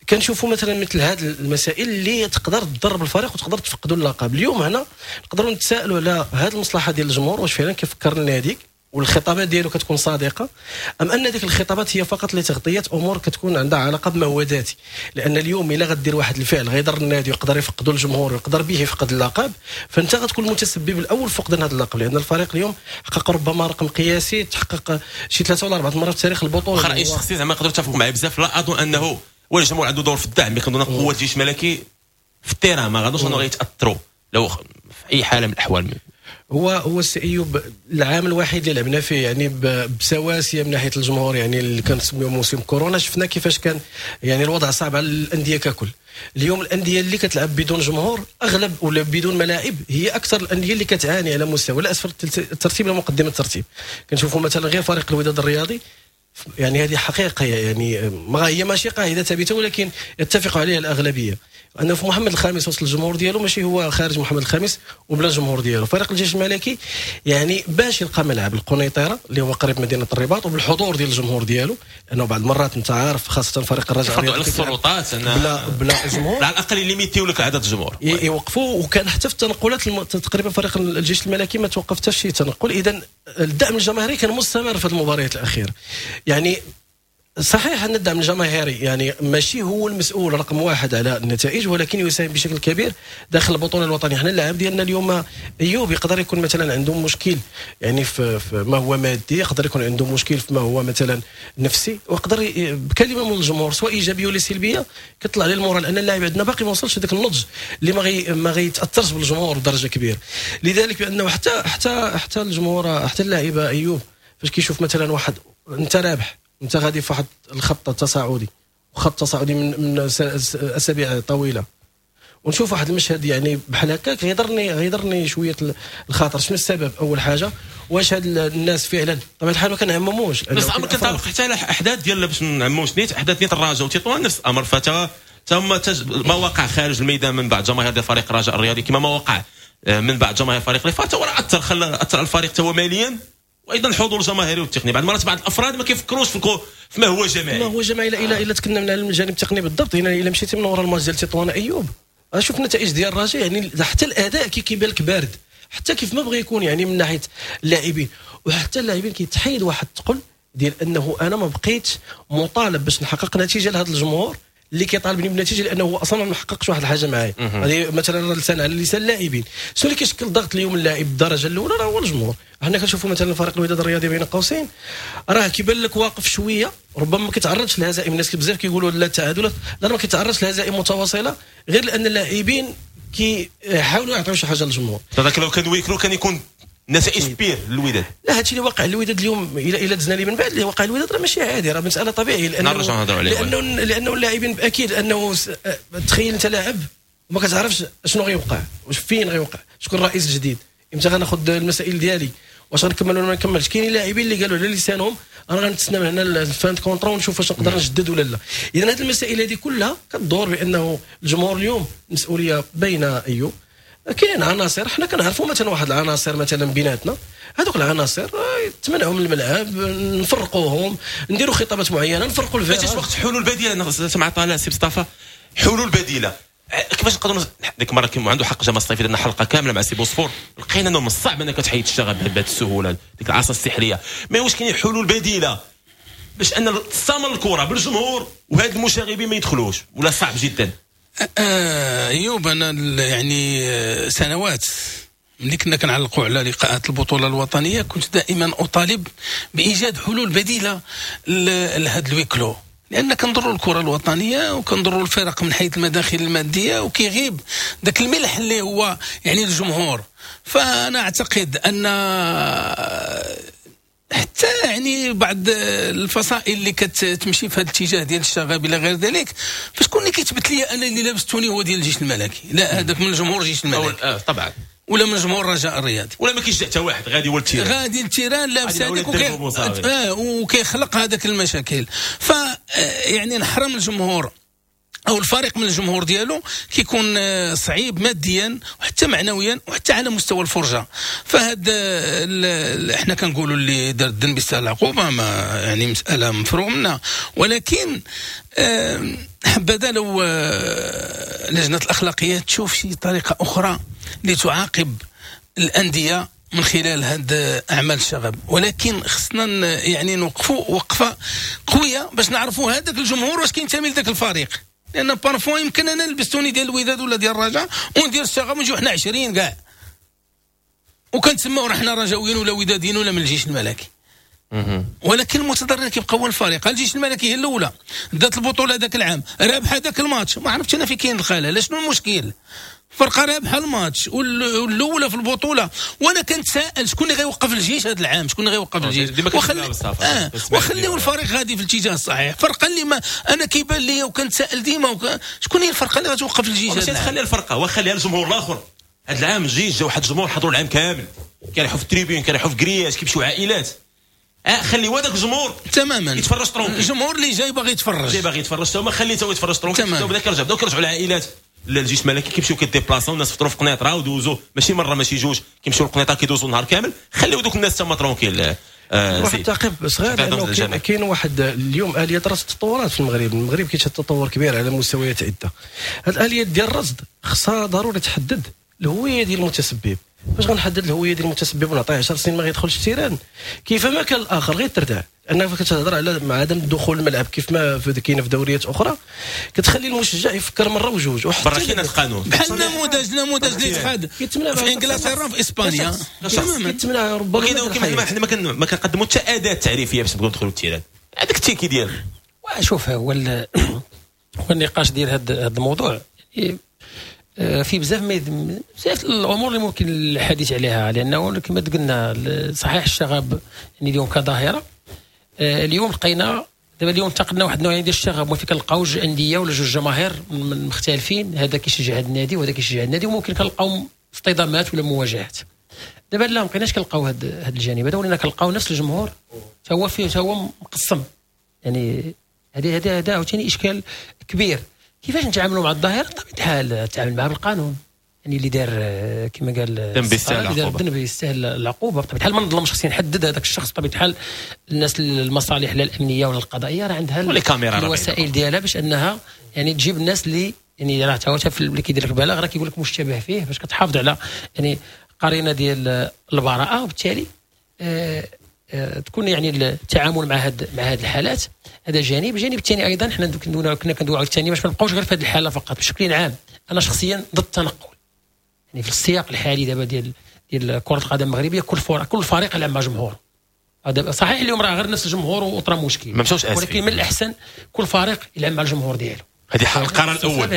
كنشوفوا مثلا مثل هذه المسائل اللي تقدر تضرب الفريق وتقدر تفقدوا اللقب. اليوم هنا نقدروا نتساءلوا على هذه المصلحة ديال الجمهور، واش فعلا كيفكر النادي والخطابات ديالو كتكون صادقة، ام ان ديك الخطابات هي فقط لتغطيه امور كتكون عندها علاقة بما هو ذاتي؟ لان اليوم الا غدير واحد الفعل غيضر النادي ويقدر يفقدوا الجمهور ويقدر به يفقد اللقب، فانت غتكون المتسبب الاول في فقدان هذا اللقب، لان الفريق اليوم حقق ربما رقم قياسي تحقق شي ثلاثة ولا اربعة مرات في تاريخ البطولة. رايي الشخصي زعما نقدروا نتفقوا معايا بزاف، لا اظن انه هو الجمهور عنده دور في الدعم، mais كنظن قوة الجيش الملكي في ال terrain ما غادوش انه غيتاثروا لو في اي حاله من الاحوال. هو هو السي ايوب العام الوحيد اللي لعبنا فيه يعني بسواسيه من ناحية الجمهور، يعني اللي كنسميوه موسم كورونا، شفنا كيفاش كان يعني الوضع صعب على الاندية ككل. اليوم الاندية اللي كتلعب بدون جمهور اغلب ولا بدون ملاعب هي اكثر الاندية اللي كتعاني على مستوى لا اسفل الترتيب لا مقدمه الترتيب. كنشوفوا مثلا غير فريق الوداد الرياضي، يعني هذه حقيقة يعني ما هي ماشي قاعدة ثابتة ولكن يتفق عليها الاغلبية، انه في محمد الخامس وسط الجمهور ديالو ماشي هو خارج محمد الخامس وبلا جمهور ديالو. فريق الجيش الملكي يعني باش يلقى ملعب القنيطره اللي هو قريب مدينة الرباط وبالحضور ديال الجمهور ديالو، لانه بعض المرات انت عارف خاصة فريق الرجاء على السلطات بلا بلا جمهور على الاقل limiter لك عدد الجمهور يوقفوا. وكان حتى في التنقلات الم... تقريبا فريق الجيش الملكي ما توقف حتى شي تنقل. اذا الدعم الجماهيري كان مستمر في المباريات الاخيرة. يعني صحيح ان الدعم الجماهيري يعني ماشي هو المسؤول رقم واحد على النتائج، ولكن يساهم بشكل كبير داخل البطولة الوطنية. حنا اللاعب ديالنا اليوم ايوب يقدر يكون مثلا عنده مشكل يعني في, في ما هو مادي، يقدر يكون عنده مشكل في ما هو مثلا نفسي، ويقدر بكلمه من الجمهور سواء ايجابية ولا سلبية كتطلع عليه ال moral، لان اللاعب عندنا باقي ما وصلش هذاك النضج اللي ما غي ما غيتاثرش بالجمهور بدرجة كبيرة. لذلك بانه حتى حتى حتى الجمهور حتى اللاعب ايوب فاش كيشوف مثلا واحد انت رابح، انت غادي في واحد الخط التصاعدي وخط تصاعدي من من اسابيع طويلة، ونشوف واحد المشهد يعني بحال هكاك غيضرني غيضرني شوية الخاطر. شنو السبب؟ اول حاجة واش هاد الناس فعلا طبعا الحال ما كنعمموش، بس الامر كنطابق حتى على احداث ديال باش نعمموش نيت احداث نيت الرجاء وتطوان نفس الامر، فتا تم ما وقع خارج الميدان من بعد جماهير ديال فريق الرجاء الرياضي كما ما وقع من بعد جماهير فريق الرفاق، هو راه اثر خلى اثر على الفريق تا هو ماليا، وايضا الحضور الجماهيري والتقني. بعض المرات بعض الافراد ما كيفكروش في ما هو جماعي، ما هو جماعي. الى الى تكلمنا على الجانب التقني بالضبط، هنا الى مشيتي من وراء الماتش ديال تطوان ايوب شوف النتائج ديال الرجاء، يعني حتى الاداء كي كيبان لك بارد حتى كيف ما بغى يكون يعني من ناحية اللاعبين، وحتى اللاعبين كيتحيد واحد الثقل ديال انه انا ما بقيتش مطالب باش نحقق نتيجة لهذا الجمهور اللي كيطالبني بنتيجة، لانه هو اصلا ما حققش واحد الحاجة معايا. هذه مثلا لسان على لسان اللاعبين. شنو اللي كيشكل ضغط اليوم اللاعب الدرجة الاولى راه هو الجمهور. حنا كنشوفوا مثلا فريق الوداد الرياضي بين قوسين راه كيبان لك واقف شوية، ربما ما كيتعرضش للهزائم. الناس بزاف كيقولوا لا التعادلات، لا ما كيتعرضش لهزائم متواصلة غير لان اللاعبين كيحاولوا يعطيو شي حاجة للجمهور. هذاك لو كان huis clos كان يكون نتائج pire للوداد. لا هادشي اللي وقع للوداد اليوم الى الى دزنا لي من بعد اللي وقع للوداد راه ماشي عادي، راه مسالة طبيعية، لانه لانه لانه اللاعبين اكيد انه تخيل انت لاعب وما كتعرفش شنو غيوقع، واش فين غيوقع، شكون الرئيس الجديد، امتى غناخذ المسائل ديالي، واش غنكمل ولا ما نكملش. كاينين لاعبين اللي قالوا على لسانهم انا غنتسنى من هنا ال fin contrat ونشوف واش نقدر نجدد ولا لا. اذا هذه المسائل هذه كلها كتدور بانه الجمهور اليوم مسؤولية بين ايوب. كاين عناصر حنا كنعرفوا مثلا واحد العناصر مثلا بيناتنا، هذوك العناصر تمنعوا من الملعب، نفرقوهم، نديروا خطابات معينة، نفرقوا الفرق. ماشي وقت حلول بديله مع طالع سي مصطفى، حلول بديله كيفاش نقدروا؟ ديك المرة كان عنده حق جمال الصيفي، درنا حلقة كاملة مع سي بوصفور، لقينا انه من الصعب انك تحيد الشغب بهذه السهولة، ديك العصا السحريه. ما واش كاين حلول بديله باش ان تستمر الكره بالجمهور وهاد المشاغبين ما يدخلوش، ولا صعب جدا؟ ايوب انا يعني سنوات ملي كنا كنعلقوا على لقاءات البطولة الوطنية كنت دائما اطالب بايجاد حلول بديله لهذا ال huis clos، لان كنضروا الكره الوطنية وكنضروا الفرق من حيث المداخل المادية، وكيغيب ذاك الملح اللي هو يعني الجمهور. فانا اعتقد ان حتى يعني بعض الفصائل اللي كتمشي في هذا الاتجاه ديال الشغب الى غير ذلك، فشكون اللي كيثبت لي انا اللي لابس tenue هو ديال الجيش الملكي؟ لا، هذاك من الجمهور الجيش الملكي آه طبعا، ولا من جمهور الرجاء الرياضي، ولا ما كيشجع حتى واحد، غادي هو ال terrain، غادي ال terrain لابس هذاك وكي... آه وكيخلق هذاك المشاكل. ف يعني نحرم الجمهور او الفريق من الجمهور ديالو كيكون صعيب ماديا وحتى معنويا وحتى على مستوى الفرجة. فهاد احنا كنقولوا اللي دار الذنب يستاهل العقوبة، ما يعني مسالة مفروغ منها، ولكن حبذا لو لجنة الاخلاقيات تشوف شي طريقه اخرى لتعاقب الاندية من خلال هاد اعمال الشغب. ولكن خصنا يعني نوقفوا وقفه قوية باش نعرفوا هذاك الجمهور واش كينتمي لذاك الفريق، لان parfois يمكن انا نلبس tenue ديال الوداد ولا ديال الرجاء وندير الشغب ونجيو حنا عشرين كاع وكنتسماو راه حنا رجاويين ولا وداديين ولا من الجيش الملكي. ولكن المتضرر كيبقى هو الفريق. الجيش الملكي هي الاولى دات البطولة ذاك العام، رابح هذاك الماتش، ما عرفتش انا في كاين الخلل، شنو المشكل؟ فرقه رابحه الماتش والاولى في البطولة. وانا كنتساءل شكون اللي غيوقف الجيش هذا العام، شكون اللي غيوقف الجيش؟ وخلي آه وخليو الفريق غادي في الاتجاه الصحيح. فرقه اللي ما انا كيبان لي وكنتساءل ديما وك... شكون هي الفرقة اللي غتوقف الجيش هذا العام؟ خليها الفرقة وخليها الجمهور الاخر. هذا العام الجيش جا واحد الجمهور حضروا العام كامل، كيريحوا في ال tribune، كيريحوا في grillage، كيمشيو عائلات. اه خلي هذاك الجمهور تماما يتفرج tranquille. الجمهور اللي جاي باغي يتفرج، جاي باغي يتفرج تا هما خليته يتفرج tranquille. بدا كيرجع، بداو كيرجعوا العائلات للجيش الملكي، كيمشيو كيديبلاصاو الناس فطروا في قنيطره ودوزوا ماشي مرة ماشي جوج، كيمشيو للقنيطره كيدوزوا النهار كامل. خليو دوك الناس تما tranquille. آه واحد التعقيب صغير، لانه كاين واحد اليوم اليات رصد تطورات في المغرب. المغرب كيشهد تطور كبير على مستويات عده. هاد الاليات ديال الرصد خصها ضروري تحدد الهوية ديال المتسبب. باش غنحدد الهوية ديال المتسبب ونعطيه عشر سنين ما غيدخلش ال terrain، كيفما كان الاخر غير تردع. لانك كتهضر على عدم دخول الملعب كيف ما كاين في دوريات اخرى، كتخلي المشجع يفكر مرة وجوج. برا كاين القانون بحال نموذج نموذج اللي تخاد في انجلترا وفي اسبانيا تماما. كيتمنع ربما كما حنا ما ما كنقدموا حتى اداه تعريفية باش نبغيو ندخلوا ال terrain. هذاك ال ticket ديالك. شوف هو هو النقاش ديال هذا الموضوع في بزاف بزاف الامور اللي ممكن الحديث عليها، لانه كما قلنا صحيح الشغب يعني اليوم كظاهره، اليوم لقينا دابا اليوم انتقلنا واحد النوع ديال الشغب، وفي كنلقاو جوج اندية ولا جوج جماهير مختلفين، هذا كيشجع هذا النادي وهذا كيشجع النادي، وممكن كنلقاو اصطدامات ولا مواجهات. دابا لا، ما بقيناش كنلقاو هذا هذا الجانب هذا، ولينا كنلقاو نفس الجمهور حتى هو فيه حتى هو مقسم. يعني هذه هذا هذا عاوتاني اشكال كبير. كيفاش نتعاملوا مع الظاهرة؟ بطبيعة الحال نتعامل معها بالقانون، يعني اللي دار كما قال الذنب يستاهل العقوبة، الذنب يستاهل العقوبة. بطبيعة الحال ما نظلمش، خصني نحدد هذاك الشخص. بطبيعة الحال الناس المصالح لا الامنية ولا القضائية راه عندها الوسائل ديالها باش انها يعني تجيب الناس اللي يعني راه تا هو اللي كيدير لك بلاغ راه كيقول لك مشتبه فيه، باش كتحافظ على يعني قرينه ديال البراءة، وبالتالي آه تكون يعني التعامل مع هاد مع هاد الحالات. هذا جانب. الجانب الثاني ايضا حنا كنا كندويو على الثاني باش ما نبقاوش غير في هذه الحالة فقط. بشكل عام انا شخصيا ضد التنقل، يعني في السياق الحالي دابا ديال ديال كره القدم المغربية، كل فريق كل فريق يلعب مع جمهور. هذا صحيح اليوم راه غير نفس الجمهور وطرا مشكل، ولكن من الاحسن كل فريق يلعب مع الجمهور ديالو. هذه القرار الاول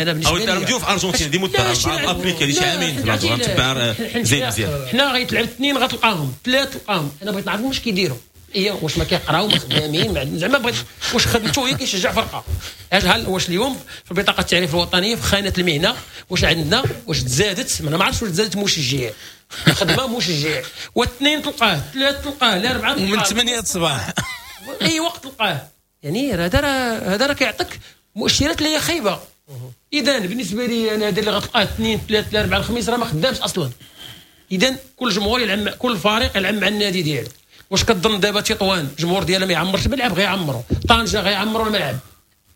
او نديرو في ارجنتين دي مده افريقيا دي شي عامين نتبع زين مزيان. حنا غيتلعب اثنين غتلقاهم ثلاثة تلقاهم. انا بغيت نعرف واش كيديروا، هي واش ما كيقراو ما خدامين زعما، بغيت واش خدمته هي كيشجع فرقه. هل واش اليوم في بطاقة التعريف الوطنية في خانه المهنة واش عندنا واش تزادت؟ ما عرفتش واش تزادت مشجع، خدمة مشجع، واثنين تلقاه ثلاثة تلقاه لا اربعة تلقاه ومن ثمانية الصباح اي وقت تلقاه. يعني هذا راه هذا راه كيعطيك مؤشرات اللي هي خايبة. اذا بالنسبة لي انا هذا اللي غتلقاه اثنين ثلاثة اربعة الخميس راه ما خدامش اصلا. اذا كل جمهور يلعب، كل فريق يلعب مع النادي ديالو. واش كتظن دابا تطوان الجمهور ديالها ما يعمرش الملعب؟ غيعمروا. طنجه غيعمروا الملعب،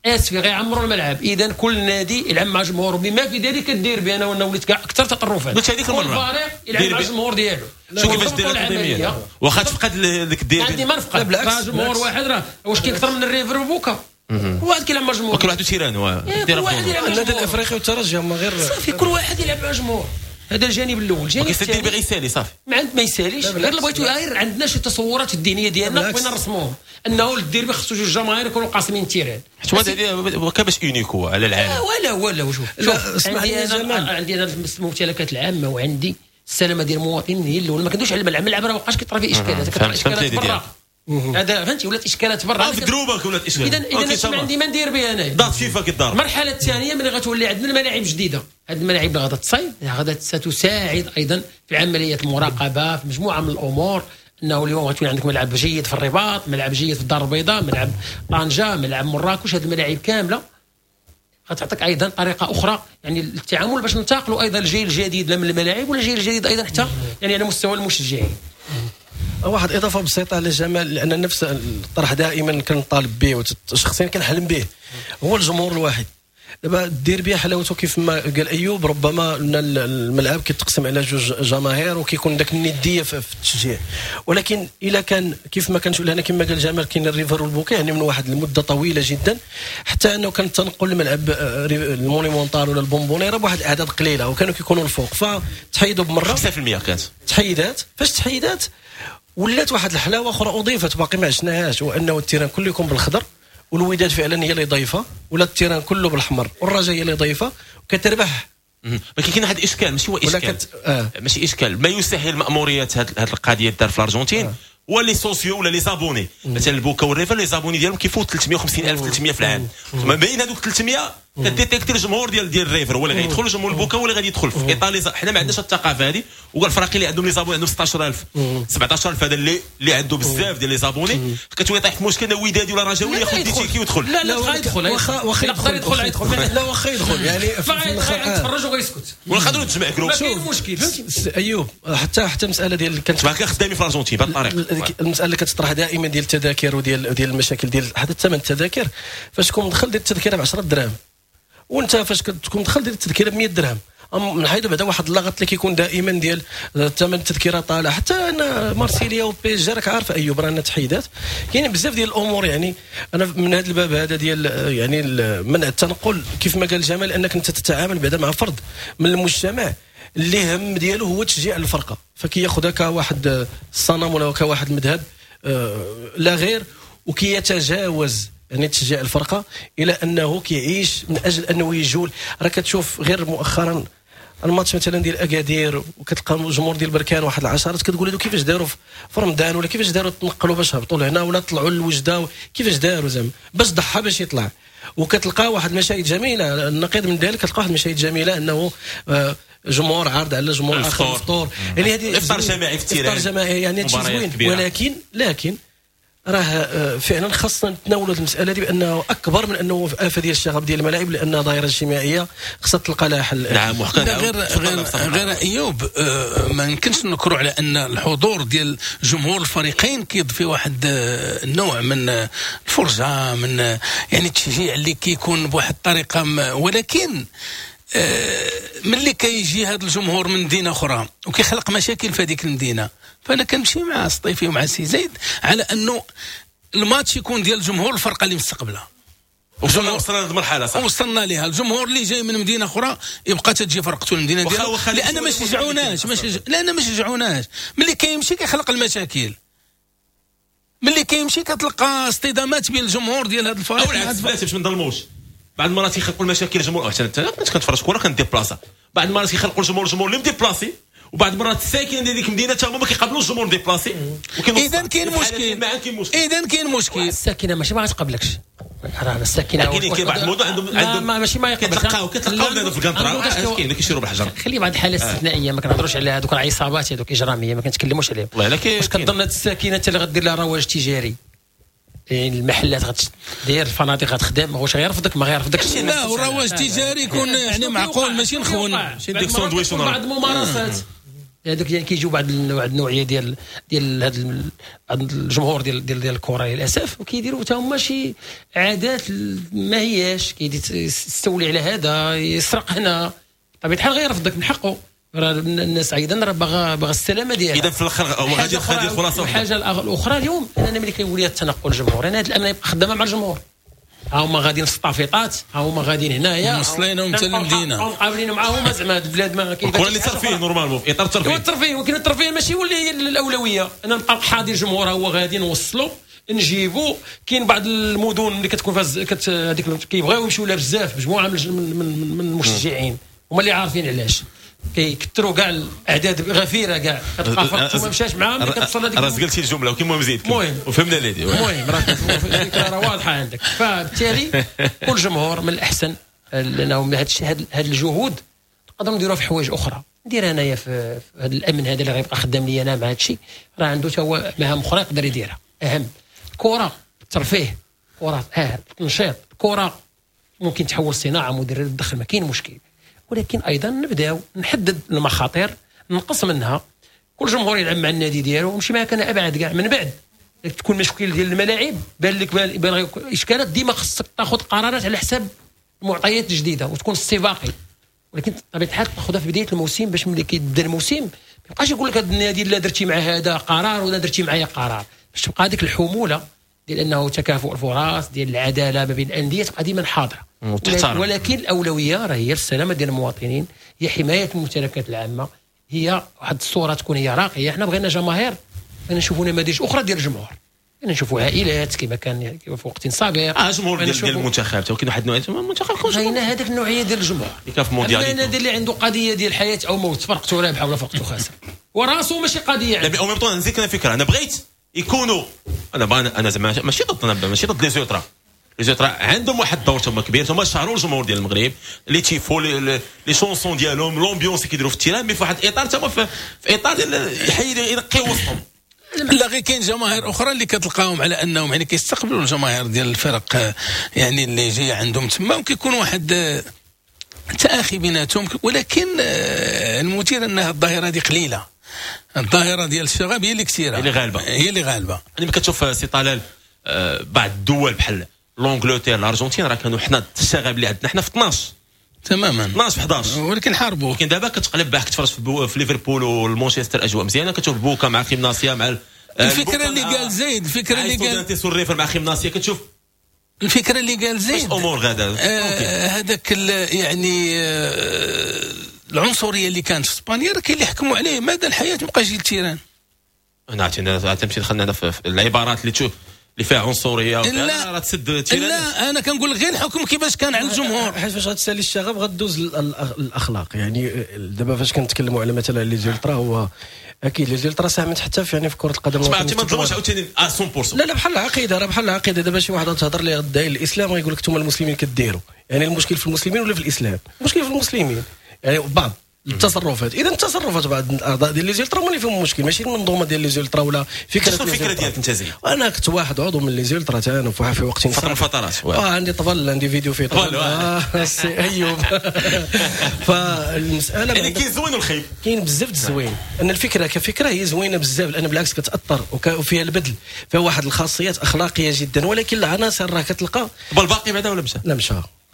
اسفي غيعمروا الملعب. اذا كل نادي يلعب مع جمهوره، بما في ذلك الديربي. انا وليت كاع اكثر تطرفا، قلت هذيك المرة كل فريق يلعب مع الجمهور ديالو. شو كيفاش دير التنظيمية واخا تفقد ديك الديربي؟ عندي ما نفقد، راه جمهور واحد راه واش كاين اكثر من الريفر وبوكا؟ كل واحد كيلعب مع جمهور، كل واحد terrain كل واحد يلعب مع النادي الافريقي والترجي هما غير صافي، كل واحد يلعب مع جمهور. هذا الجانب الاول. الجانب الثاني الديربي غيسالي صافي، ما عند ما يساليش. غير اللي بغيتو غير عندنا شي تصورات الدينية ديالنا بغينا نرسموهم انه الديربي خصو جوج جماهير يكونوا قاسمين ال terrain. حيت هذا كان باش unique على العالم. ولا ولا شوف شوف عندي انا عندي انا الممتلكات العامة وعندي السلامة ديال المواطنين هي الاولى. ما كندوش على الملعب، الملعب راه ما بقاش كيطرا فيه اشكالات، كيطرا اشكالات برا. هذا فهمتي ولات اشكالات برا في دروبك ولات اشكالات. اذا اذا ما عندي ما ندير به انايا. ضغط فيفا كيضرب. المرحلة الثانية ملي غتولي عندنا الملاعب جديدة، هذه الملاعب اللي غادا تصايب غادا ستساعد ايضا في عملية المراقبة في مجموعة من الامور. انه اليوم غتولي عندك ملعب جيد في الرباط، ملعب جيد في الدار البيضاء، ملعب طنجه، ملعب مراكش. هذه الملاعب كاملة غتعطيك ايضا طريقه اخرى يعني التعامل باش ننتقلوا ايضا الجيل الجديد لا من الملاعب ولا الجيل الجديد ايضا حتى يعني على مستوى المشجعين. واحد اضافه بسيطة على جمال، لان نفس الطرح دائما كنطالب به وشخصيا كنحلم به، هو الجمهور الواحد. دابا الديربي حلاوته كيف ما قال ايوب، ربما ان الملعب كيتقسم على جوج جماهير وكيكون داك الندية في التشجيع، ولكن الا كان كيف ما كنشوف هنا كما قال جمال كاين الريفر والبوكي يعني من واحد المدة طويلة جدا، حتى انه كان التنقل لملعب المونيمونتال ولا البومبونيرا بواحد الاعداد قليله وكانوا كيكونوا الفوق، فتحيدوا بمرة خمسة بالمية كانت تحيدات. فاش تحيدات ولات واحد الحلاوة اخرى اضيفت باقي ما عشناهاش، وانه ال terrain كله يكون بالخضر والوداد فعلا هي اللي ضيفه، ولا ال terrain كله بالحمر والرجاء هي اللي ضيفه وكتربح ولكن كاين واحد الاشكال، ماشي هو اشكال كت... آه. ماشي اشكال، ما يسهل ماموريات هذه القضية دار في الارجنتين آه. هو les socios ولا les abonnés. مثلا البوكا والريفر les abonnés ديالهم كيفوت ثلاثمية وخمسين الف ثلاثمية في العام. ما بين هذوك ثلاثمية ك détecter الجمهور ديال ديال الريفر هو اللي غيدخل، الجمهور البوكا هو اللي غادي يدخل في ايطاليا. حنا ما عندناش الثقافة هذه، والفرق اللي عندهم les abonnés عندهم ستة عشر ألف سبعة عشر ألف، هذا اللي اللي عنده بزاف ديال les abonnés كتولي طايح في مشكل ودادي ولا رجاوي ياخذ des tickets ويدخل. لا لا، يدخل. واخا واخا يقدر يدخل، يدخل. لا، واخا يدخل يعني. يتفرج وغيسكت. ولا نقدروا تجمع groupe. ما كاين مشكل، فهمتي. ايوب، حتى حتى المسالة ديال كانت خدامين في الارجنتين بهذه الطريقه. المسالة اللي كتطرح دائما ديال التذاكر وديال ديال المشاكل ديال حتى ثمن التذاكر، فاش تكون مدخل ديال التذكرة ب عشرة دراهم وانت فاش كتكون دخل ديال التذكرة ب مية درهم، نحيدوا بعدا واحد اللغط اللي كيكون دائما ديال ثمن التذكرة طالع. حتى ان مارسيليا و PSG راك عارف ايوب راه تحيدات. كاين بزاف ديال الامور. يعني انا من هذا الباب هذا ديال يعني منع التنقل، كيف ما قال جمال، انك انت تتعامل بعدا مع فرد من المجتمع اللي هم ديالو هو تشجيع الفرقه، فكياخذها كواحد الصنم ولا كواحد المذهب آه، لا غير، وكيتجاوز يعني تشجيع الفرقة الى انه كيعيش من اجل انه يجول. راه كتشوف غير مؤخرا الماتش مثلا ديال اكادير وكتلقى الجمهور ديال بركان واحد العشرات، كتقول هادو كيفاش داروا في رمضان ولا كيفاش داروا تنقلوا باش هبطوا لهنا ولا طلعوا للوجده، كيفاش داروا زعما باش ضحى باش يطلع. وكتلقى واحد المشاهد جميله، النقيض من ذلك، كتلقى واحد المشاهد جميلة انه آه، جمهور عارض على جمهور اخر الفطور، يعني هذه افطار جماعي في ال terrain. افطار جماعي، يعني هادشي زوين، ولكن لكن راه آه، فعلا خاصنا نتناولوا المسالة دي بانه اكبر من انه افه ديال الشغب ديال الملاعب، لانها ظاهره اجتماعية خاصها تلقى لها حل. نعم. غير غير غير ايوب، آه، ما يمكنش نكروا على ان الحضور ديال جمهور الفريقين كيضفي واحد آه، النوع من الفرجه، من يعني التشجيع اللي كيكون بواحد الطريقه، ولكن ملي كيجي هذا الجمهور من مدينة اخرى وكيخلق مشاكل في هذيك المدينه، فانا كنمشي مع سطيفي ومع سي زيد على انه الماتش يكون ديال الجمهور الفرقة اللي مستقبله. وصلنا وصلنا لهذه المرحله، صح. وصلنا لها. الجمهور اللي جاي من مدينة اخرى يبقى تجي فرقته المدينة ديالو، لان ما شجعوناش، ما شج... لان ما شجعوناش. ملي كيمشي كيخلق المشاكل، ملي كيمشي كتلقى اصطدامات بين الجمهور ديال هذا الفريق. او العكس، باش ما نظلموش، بعض المرات يخلقوا المشاكل الجمهور. حتى انت كنت كنتفرج كره كن déplaça، بعض المرات يخلقوا الجمهور الجمهور اللي م déplacé، وبعض المرات الساكنين ديال ديك المدينة حتى هما ما كيقابلوش الجمهور déplacé. اذا كاين مشكل، اذا كاين مشكل. الساكنة ماشي ما غتقبلكش، راه الساكنه. كاين كاين بعض المدن عندهم عندهم ماشي ما يقبلش. كتلقاو كتلقاو في القنطرة كاين اللي كيشيروا بالحجر. خلي بعض الحالات الاستثنائيه، ما كنهضروش على هذوك العصابات هذوك اجراميه، ما كنتكلموش عليهم. واش كتظن هاد الساكنة انت اللي غدير لها رواج تجاري، يعني المحلات غتدير، الفنادق غتخدم، واش غيرفضك؟ ما غيرفضكش. لا، والرواج التجاري يكون يعني معقول، ماشي نخون. ماشي ديك ساندويش. بعض الممارسات هذوك يعني كيجيو بعض واحد النوعية ديال ديال هذا الجمهور ديال ديال ديال الكره للاسف، وكيديروا حتى هما شي عادات ما هياش، كيدي يستولي على هذا، يسرق هنا. بطبيعة الحال غيرفضك، من حقه. راه الناس ايضا راه باغا باغا السلامة ديالها. اذا في الاخر غادي غادي الخلاصه. الحاجة الاخرى اليوم، انا ملي كيولي التنقل الجمهور، انا هذا الامن يبقى خدامه مع الجمهور، ها هما غاديين في الطافيطات، ها هما غاديين هنايا. موصلينهم حتى للمدينه. مقابلين معاهم زعما هاد البلاد ما كاين اللي ترفيه normalement في اطار الترفيه. الترفيه، ولكن الترفيه ماشي هو اللي هي الاولويه. انا نبقى حاضر الجمهور هو غادي نوصلوا نجيبو. كاين بعض المدن اللي كتكون فيها كت هذيك كيبغيو يمشيو لها بزاف مجموعة من من, من المشجعين، هما اللي عارفين علاش كيكثروا كاع الاعداد غفيره كاع، كتلقى فرق ما مشاش معاهم كتوصل هذيك. راه قلتي الجملة وكيما مزيد. المهم وفهمنا ليدي. المهم راه الفكرة راه واضحة عندك. فبالتالي كل جمهور من الاحسن لانه هذا الشيء، هذه الجهود نقدروا نديروها في حوايج اخرى. ندير انايا في هذا الامن هذا اللي غيبقى خدام لي انا مع هذا الشيء، راه عنده حتى هو مهام اخرى يقدر يديرها اهم. الكره الترفيه، كره اه التنشيط، الكره ممكن تحول صناعة مدير للدخل، ما كاين مشكل. ولكن ايضا نبداو نحدد المخاطر، نقص منها. كل جمهور يلعب مع النادي ديالو ومشي معك انا ابعد كاع. من بعد تكون مشكل ديال الملاعب، بان لك بان اشكالات، ديما خصك تاخذ قرارات على حساب المعطيات الجديدة وتكون استباقي. ولكن بطبيعة الحال تاخذها في بداية الموسم باش ملي كيبدا الموسم ما يبقاش يقول لك هذا النادي لا درتي مع هذا قرار ولا درتي معايا قرار، باش تبقى هذيك الحمولة ديال انه تكافؤ الفرص، ديال العدالة ما بين الاندية تبقى ديما حاضره. ولكن الاولوية راه هي السلامة ديال المواطنين، هي حماية الممتلكات العامة، هي واحد الصورة تكون هي راقية. حنا بغينا جماهير، بغينا نشوفوا نماذج اخرى ديال الجمهور. بغينا نشوفوا عائلات كما كان في وقت سابق. اه جمهور ديال, ديال المنتخب تا كاين واحد النوع المنتخب بغينا هذاك النوعية ديال الجمهور اللي كان في مونديال. النادي اللي عنده قضية ديال حياة او موت، فرقته رابحه ولا فرقته خاسرة وراسه ماشي قضية. لا au même temps نزيد انا فكرة، انا بغيت يكونوا انا انا زعما ماشي ضد، انا ماشي ضد les ultras. les ultras عندهم واحد الدور تما كبير، تما شهروا الجمهور ديال المغرب، les tifos، les chansons ديالهم، l'ambiance اللي كيديروا في ال terrain، mais في واحد الاطار تما في, في اطار ديال يحيد ينقي وسطهم. لا غير كاين جماهير اخرى اللي كتلقاهم على انهم يعني كيستقبلوا الجماهير ديال الفرق يعني اللي جاية عندهم تما، وكيكون واحد تآخي بيناتهم. ولكن المثير انها الظاهرة هذه قليله، الظاهرة ديال الشغب هي اللي كثيرة، هي اللي غالبه، هي اللي غالبه. يعني كتشوف سي طلال بعض الدول بحال l'Angleterre، الارجنتين، راه كانوا حنا الشغب اللي عندنا حنا في اثناش تماما، اثناش في احداش، ولكن حاربوا. ولكن دابا كتقلب باك تفرج في, في ليفربول والمانشستر اجواء مزيانه، كتشوف بوكا مع خيمناسيا مع الفكرة اللي قال زيد، الفكرة اللي قال الريفر مع خيمناسيا، كتشوف الفكرة اللي قال زيد امور غادا هذاك يعني آه العنصرية اللي كانت في اسبانيا راه كاين اللي حكموا عليه مدى الحياة ما بقاش يجي لل terrain. انا عرفتي تمشي دخلنا في العبارات اللي تشوف اللي فيها عنصرية. لا راه تسد terrain. لا انا كنقول غير الحكم كيفاش كان على الجمهور، حيت فاش غتسالي الشغب غدوز الاخلاق. يعني دابا فاش كنتكلموا على مثلا les ultras، هو اكيد les ultras ساهمت حتى في يعني في كره القدم. ما تظلموش عاوتاني مية بالمية. لا لا بحال العقيدة، راه بحال العقيدة. دابا شي واحد تهضر ليه غدا الاسلام غيقول لك انتم المسلمين كديروا، يعني المشكل في المسلمين ولا في الاسلام؟ المشكل في المسلمين، يعني بعض التصرفات. اذا التصرفات بعض الاعضاء ديال les ultras هما اللي فيهم المشكل، ماشي المنظومة ديال les ultras ولا فكرة. الفكرة ديالك انت زيد؟ انا كنت واحد عضو من les ultras تا انا في وقت فترة من الفترات. اه عندي طبل، عندي فيديو فيه طبل. آه السي ايوب. فالمسالة يعني كاين زوين والخايب، كاين بزاف الزوين. ان الفكرة كفكرة هي زوينة بزاف، لان بالعكس كتاثر وفيها البذل، فيها واحد الخاصيات اخلاقية جدا، ولكن العناصر راه كتلقى. طب الباقي بعدا ولا مشى؟ لا مشى.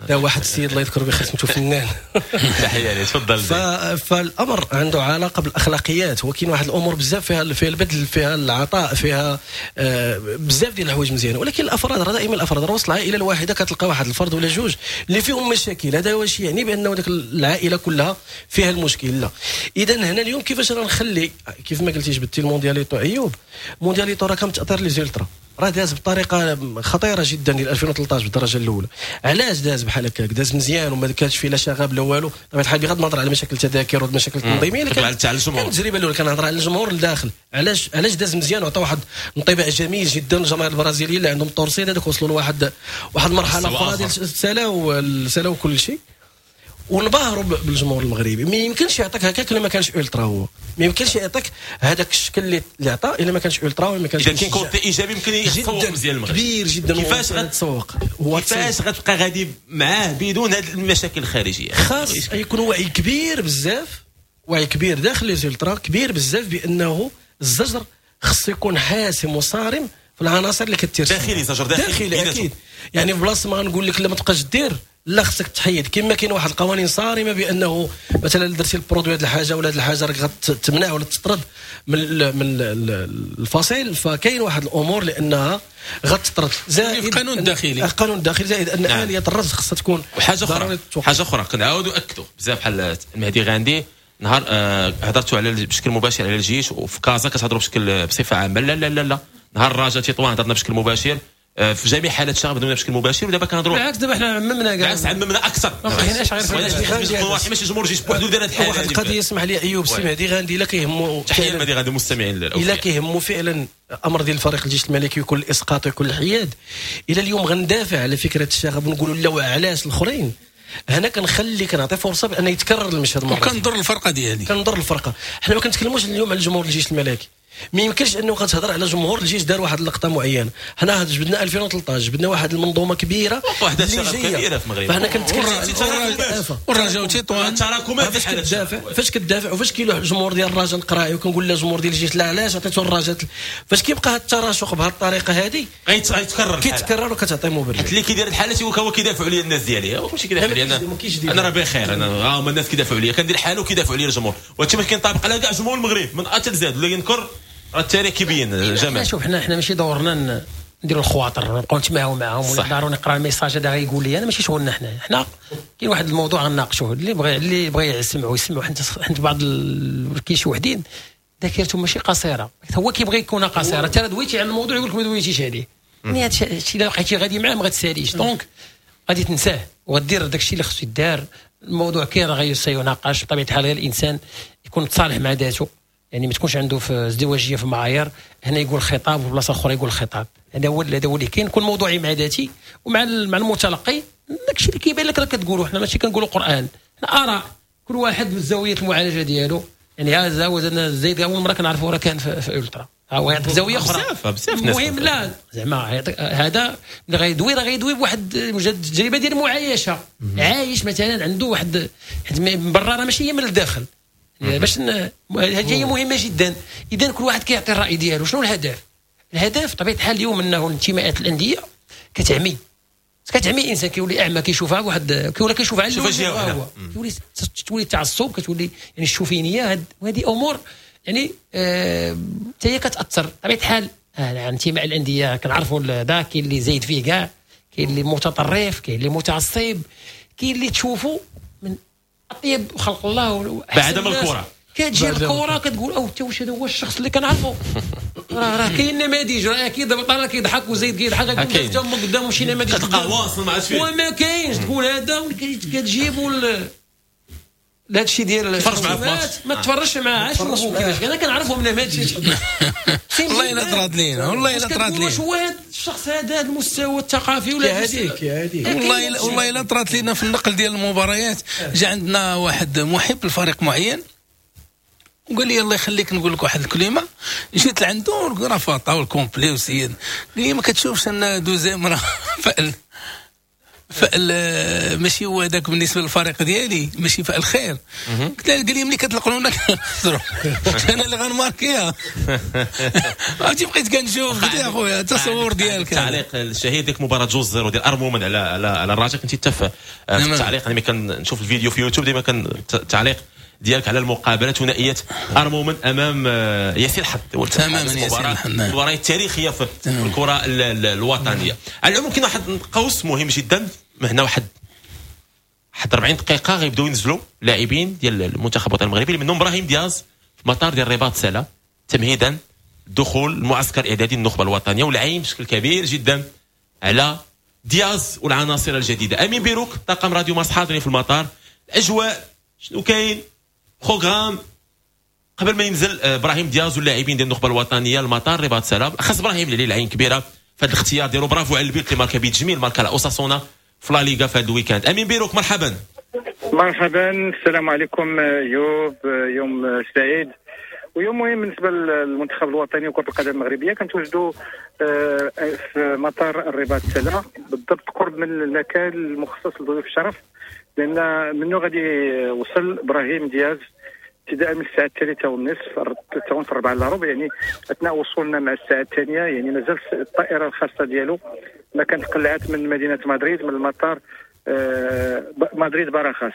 لا واحد السيد الله يذكره بخير سميتو فنان. تحية ليه، تفضل. فالامر عنده علاقة بالاخلاقيات، وكاين واحد الامور بزاف فيها فيها البذل، فيها العطاء، فيها آه بزاف ديال الحوايج مزيانه. ولكن الافراد راه دائما الافراد راه وسط العائلة الواحدة كتلقى واحد الفرد ولا جوج اللي فيهم مشاكل. هذا واش يعني بانه ديك العائلة كلها فيها المشكل؟ لا. اذا هنا اليوم كيفاش راه نخلي كيف ما قلتي جبتي الموندياليتو ايوب، موندياليتو راه كان تاثير les ultras راه داز بطريقة خطيرة جدا ديال ألفين وثلاطاش بالدرجة الاولى. علاش داز بحال هكاك؟ داز مزيان وما كانش فيه لا شغب لا والو. طبيعة الحال بغض النظر على مشاكل التذاكر والمشاكل التنظيمية اللي كانت على الجمهور، التجربة الاولى كنهضر على الجمهور لداخل. علاش علاش داز مزيان وعطى واحد انطباع جميل جدا للجماهير البرازيليه اللي عندهم torcida هذوك وصلوا لواحد واحد المرحلة اخرى ديال سالاو سالاو كل شيء ونبهروا بالجمهور المغربي. ما يمكنش يعطيك هكاك الا ما كانش ultra، هو ما يمكنش يعطيك هذاك الشكل اللي اللي عطى الا ما كانش ultra وما كانش. اذا كاين côté ايجابي يمكن يتسوق مزيان المغرب كبير جدا. كيفاش غتسوق؟ كيفاش غتبقى غادي معاه بدون هذه المشاكل الخارجية؟ خاص يكون وعي كبير بزاف، وعي كبير داخل les ultras كبير بزاف بانه الزجر خص يكون حاسم وصارم في العناصر اللي كتير داخلي. زجر داخلي داخلي اكيد. يعني في بلاصة ما غنقول لك لا ما تبقاش دير، لا خصك تحيد. كما كاين واحد القوانين صارمة بانه مثلا درتي ال produit هذه الحاجة ولا هذه الحاجة راك غتمنع ولا تطرد من من الفصيل. فكاين واحد الامور لانها غتطرد زائد القانون الداخلي، القانون الداخلي زائد ان نعم. اليه الرد خصها تكون. وحاجه اخرى، حاجة اخرى كنعاودوا اكدوا بزاف بحال المهدي غاندي نهار آه هضرتوا على بشكل مباشر على الجيش وفي كازا كتهضروا بشكل بصفة عامة. لا لا لا لا نهار الرجاء تطوان هضرنا بشكل مباشر في جميع حالات الشغب هضرنا بشكل مباشر. ودابا كنهضروا بالعكس، دابا حنا عممنا كاع، بالعكس عممنا اكثر، ما بقيناش غير ماشي جمهور الجيش بوحدو دار هذه الحالة. واحد القضية اسمح لي ايوب، سي مهدي غاندي الا كيهمو تحية المهدي غاندي المستمعين الا كيهمو فعلا امر ديال الفريق الجيش الملكي ويكون الاسقاط ويكون الحياد، الى اليوم غندافع على فكرة الشغب ونقولوا لا علاش الاخرين. هنا كنخلي كنعطي فرصة بان يتكرر المشهد مرة وكنضر الفرقة ديالي، كنضر الفرقة. حنا ما كنتكلموش اليوم على جمهور الجيش الملكي، ما يمكنش انه كتهضر على جمهور الجيش دار واحد اللقطة معينة. حنا جبدنا ألفين وثلاطاش جبدنا واحد المنظومة كبيرة، واحد الشغب كبيرة في المغرب. فحنا كنتكلم على والرجاء وتطوان تراكمات فاش كتدافع، فاش كتدافع وفاش كيلوح الجمهور ديال الرجاء القراعي وكنقول لا جمهور ديال الجيش لا علاش عطيتو الرجاء، فاش كيبقى هذا التراشق بهذه الطريقة هذه غيتكرر كيتكرر وكتعطي مبرر. حيت اللي كيدير الحالة تيقول هو كيدافعوا عليا الناس ديالي، هو ماشي كيدافع عليا انا، انا راه بخير، انا هما الناس كيدافعوا عليا، كندير حاله وكيدافعوا عليا الجمهور. وهادشي باش كينطبق على كاع جمهور المغرب من A حتى Z، ولا ينكر راه التاريخ كيبين. جمال شوف حنا حنا ماشي دورنا نديروا الخواطر ونبقاو نتماهوا معاهم ولا ضروري نقرا ال message هذا غيقول لي انا، ماشي شغلنا حنا. حنا كاين واحد الموضوع غنناقشوه، اللي بغى اللي بغى يسمعوا يسمعوا. حيت حيت بعض ال... كاين شي وحدين ذاكرته ماشي قصيرة، هو كيبغي يكون قصيرة. انت دويتي على الموضوع يقول لك ما دويتيش عليه، يعني هادشي الا بقيتي غادي معاه ما غتساليش، donc غادي تنساه وغدير داكشي اللي خصو يدار. الموضوع كاين راه غيسيناقش بطبيعة الحال، غير الانسان يكون متصالح مع ذاته، يعني ما تكونش عنده في ازدواجية في المعايير، هنا يقول خطاب وفي بلاصة اخرى يقول خطاب. هذا هو هذا هو اللي كاين. كون موضوعي مع ذاتي ومع مع المتلقي، داكشي اللي كيبان لك راه كتقولوا. حنا ماشي كنقولوا قران، حنا اراء، كل واحد من زاوية المعالجة ديالو. يعني هذا هو زيد اول مرة كنعرفوا راه كان في, في الترا، ها هو يعطيك زاوية اخرى بزاف بزاف ناس. المهم لا زعما هذا اللي غيدوي راه غيدوي بواحد التجربة ديال المعايشه، عايش مثلا عنده واحد، حيت من برا راه ماشي هي من الداخل، باش هذه هي مهمة جدا. اذا كل واحد كيعطي الراي ديالو. شنو الهدف؟ الهدف بطبيعة الحال اليوم انه الانتماءات الاندية كتعمي، كتعمي الانسان، كيولي اعمى، كيشوفها واحد كيولي كيشوف على هو كيولي تولي التعصب، كتولي يعني الشوفينيه. وهذه امور يعني حتى هي كتاثر بطبيعة الحال. الانتماء الاندية كنعرفوا ذا، كاين اللي زايد فيه كاع، كاين اللي متطرف، كاين اللي متعصب، كاين اللي تشوفوا من اطيب خلق الله بعد من الكره كتجي الكره كتقول او حتى واش هذا هو الشخص اللي كنعرفو؟ راه راه كاين نماذج، راه اكيد دابا طالع كيضحك وزيد كيضحك، حتى هما قدامهم شي نماذج كتلقاه واصل مع فيه وما كاينش. تقول هذا كتجيبوا هذا الشيء ديال تفرج معاه في ماتش، ما تفرجش معاه، شوفوا كيفاش انا كنعرفهم نماذج. والله الا طرات لينا، والله الا طرات لينا. واش هو هذا الشخص هذا المستوى الثقافي ولا هذيك هذيك؟ والله والله الا طرات لينا في النقل ديال المباريات. جا عندنا واحد محب لفريق معين وقال لي الله يخليك نقول لك واحد الكلمة. جيت لعنده راه فاطا وال complet وسيد، قال لي ما كتشوفش ان deuxième راه فأل فأل ماشي هو هذاك بالنسبة للفريق ديالي، ماشي فأل خير. قلت له، قال لي ملي كتلقنونا كنخسروا، انا اللي غنماركيها. عرفتي بقيت كنشوف، قلت يا خويا التصور ديالك. التعليق الشهير ديك مباراة جوج زيرو ديال ارمومن على على على الرجاء، كنتي حتى في التعليق، انا ملي كنشوف الفيديو في يوتيوب ديما كان التعليق ديالك على المقابلة ثنائية ارمومن امام ياسين حد. تماما ياسين الحد، المباراة التاريخية في الكره الوطنية. على العموم كاين واحد قوس مهم جدا هنا، واحد واحد أربعين دقيقة غيبداو ينزلوا لاعبين ديال المنتخب الوطني المغربي، منهم ابراهيم دياز في مطار ديال الرباط سلا، تمهيدا دخول المعسكر الاعدادي النخبة الوطنية، والعين بشكل كبير جدا على دياز والعناصر الجديدة. امين بيروك طاقم راديو مارس حاضرين في المطار، الاجواء شنو كاين، programme قبل ما ينزل ابراهيم دياز واللاعبين ديال النخبة الوطنية المطار الرباط سلا. خاص ابراهيم اللي العين كبيرة في هذا الاختيار ديالو، برافو على البيت اللي ماركا بيت جميل، ماركا على اوساسونا في لا ليغا في هذا ال week-end. امين بيروك مرحبا. مرحبا، السلام عليكم يوب، يوم سعيد ويوم مهم بالنسبة للمنتخب الوطني وكره القدم المغربية. كنتواجدوا في مطار الرباط سلا بالضبط قرب من المكان المخصص لضيوف الشرف، لان منه غادي وصل ابراهيم دياز ابتداء من الساعة الثالثة والنصف، الثالثة ونصف الرابعة الا ربع، يعني اثناء وصولنا مع الساعة الثانية، يعني مازال الطائرة الخاصة ديالو ما كانت قلعت من مدينة مدريد من المطار آه مدريد باراخاس.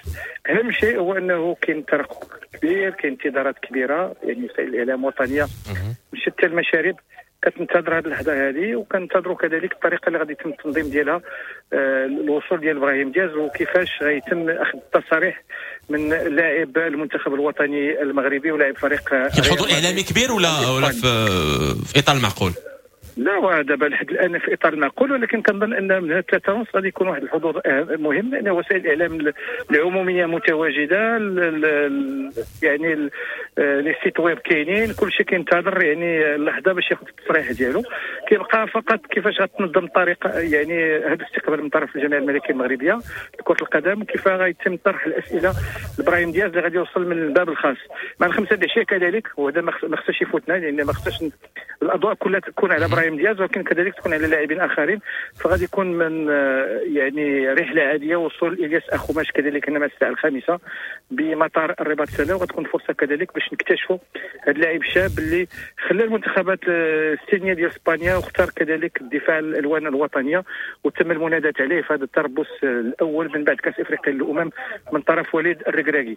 اهم شيء هو انه كاين ترقب كبير، كاين انتظارات كبيرة، يعني وسائل الاعلام الوطنية من شتى المشارب كتنتظر هذه اللحظة هذه، وكنتظروا كذلك الطريقة اللي غادي يتم التنظيم ديالها آه الوصول ديال ابراهيم دياز، وكيفاش غيتم اخذ التصاريح من لاعب المنتخب الوطني المغربي ولاعب فريق. كاين حضور اعلامي كبير ولا ولا في, في اطار المعقول؟ لا دابا لحد الان في اطار المعقول، ولكن كنظن ان من ثلاثة ونص غادي يكون واحد الحضور مهم، لان وسائل الاعلام العمومية متواجدة، ال ال يعني les sites web كاينين، كل شيء كينتظر يعني اللحظة باش ياخذ التصريح ديالو. كيبقى فقط كيفاش غتنظم الطريقة، يعني هذا الاستقبال من طرف الجامعة الملكية المغربية لكرة القدم، وكيف غيتم طرح الاسئلة لابراهيم دياز اللي غادي يوصل من الباب الخاص مع الخمسة العشية كذلك. وهذا ما خصش يفوتنا، لان ما خصش الاضواء كلها تكون على ابراهيم دياز، ولكن كذلك تكون على لاعبين اخرين. فغادي يكون من يعني رحله عادية وصول الياس اخوماش كذلك مع الساعة الخامسة بمطار الرباط سلا، وغتكون فرصة كذلك باش نكتشفوا هذا اللاعب الشاب اللي خلى المنتخبات السنية ديال اسبانيا واختار كذلك الدفاع الالوان الوطنية، وتم المناداه عليه في هذا التربص الاول من بعد كاس افريقيا للامم من طرف وليد الركراكي.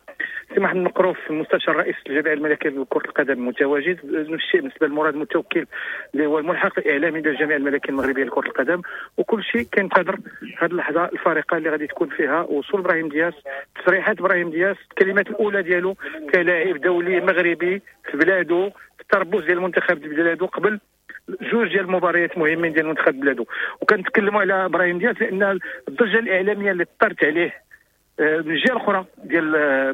سي محمد مقروف المستشار رئيس الجامعة الملكية لكرة القدم متواجد، نفس الشيء بالنسبة لمراد المتوكل اللي هو الملحق الاعلامي ديال الجامعة الملكية المغربية لكرة القدم، وكل شيء كينتظر هذه اللحظة الفارقة اللي غادي تكون فيها وصول ابراهيم دياز، تصريحات ابراهيم دياز، الكلمات الاولى ديالو كلاعب دولي مغربي في بلاده، في التربص ديال المنتخب ديال بلاده قبل جوج ديال المباريات مهمين ديال المنتخب بلاده. وكنتكلموا على ابراهيم دياز لان الضجة الاعلامية اللي طرت عليه من الجهة الاخرى ديال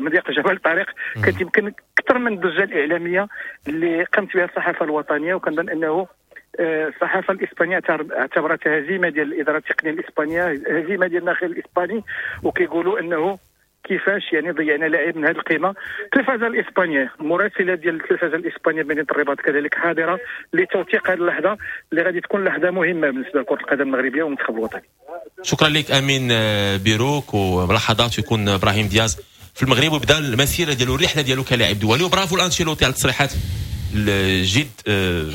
مضيق جبل طارق كانت يمكن اكثر من الضجة الاعلامية اللي قامت بها الصحافة الوطنية، وكنظن انه الصحافة الاسبانية اعتبرتها هزيمة ديال الادارة التقنية الاسبانية، هزيمة ديال الناخب الاسباني، وكيقولوا انه كيفاش يعني ضيعنا لاعب من هذه القيمة. التلفزة الاسبانية، المراسله ديال التلفزة الاسبانية بمدينة الرباط كذلك حاضره لتوثيق هذه اللحظة اللي غادي تكون لحظة مهمة بالنسبة لكرة القدم المغربية والمنتخب الوطني. شكرا لك امين بيروك، وبلحظات يكون ابراهيم دياز في المغرب وبدا المسيرة ديالو، الرحلة ديالو كلاعب دولي. وبرافو لانشيلوتي على التصريحات الجد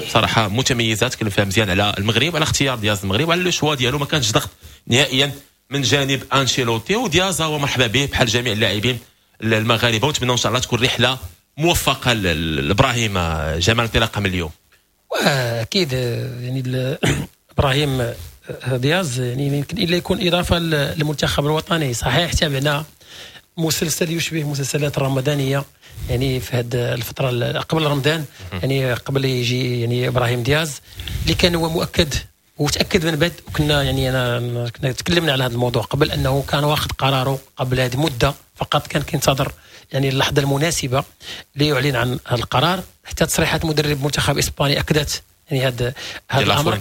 صراحة متميزات، تكلم فيها مزيان على المغرب، على اختيار دياز المغرب وعلى le choix ديالو، ما كانش ضغط نهائيا من جانب انشيلوتي. ودياز هو مرحبا به بحال جميع اللاعبين المغاربة، ونتمنى ان شاء الله تكون رحله موفقة لابراهيم جمال انطلاقة من اليوم. واكيد يعني ابراهيم دياز يعني يمكن الا يكون اضافه للمنتخب الوطني. صحيح تابعنا مسلسل يشبه مسلسلات الرمضانية يعني في هذه الفترة قبل رمضان، يعني قبل يجي يعني ابراهيم دياز اللي كان هو مؤكد وتاكد من بعد، وكنا يعني انا كنا تكلمنا على هذا الموضوع قبل انه كان واخذ قراره قبل هذه المدة، فقط كان كينتظر يعني اللحظة المناسبة ليعلن عن هذا القرار. حتى تصريحات مدرب منتخب اسباني اكدت يعني هذا هذا الامر.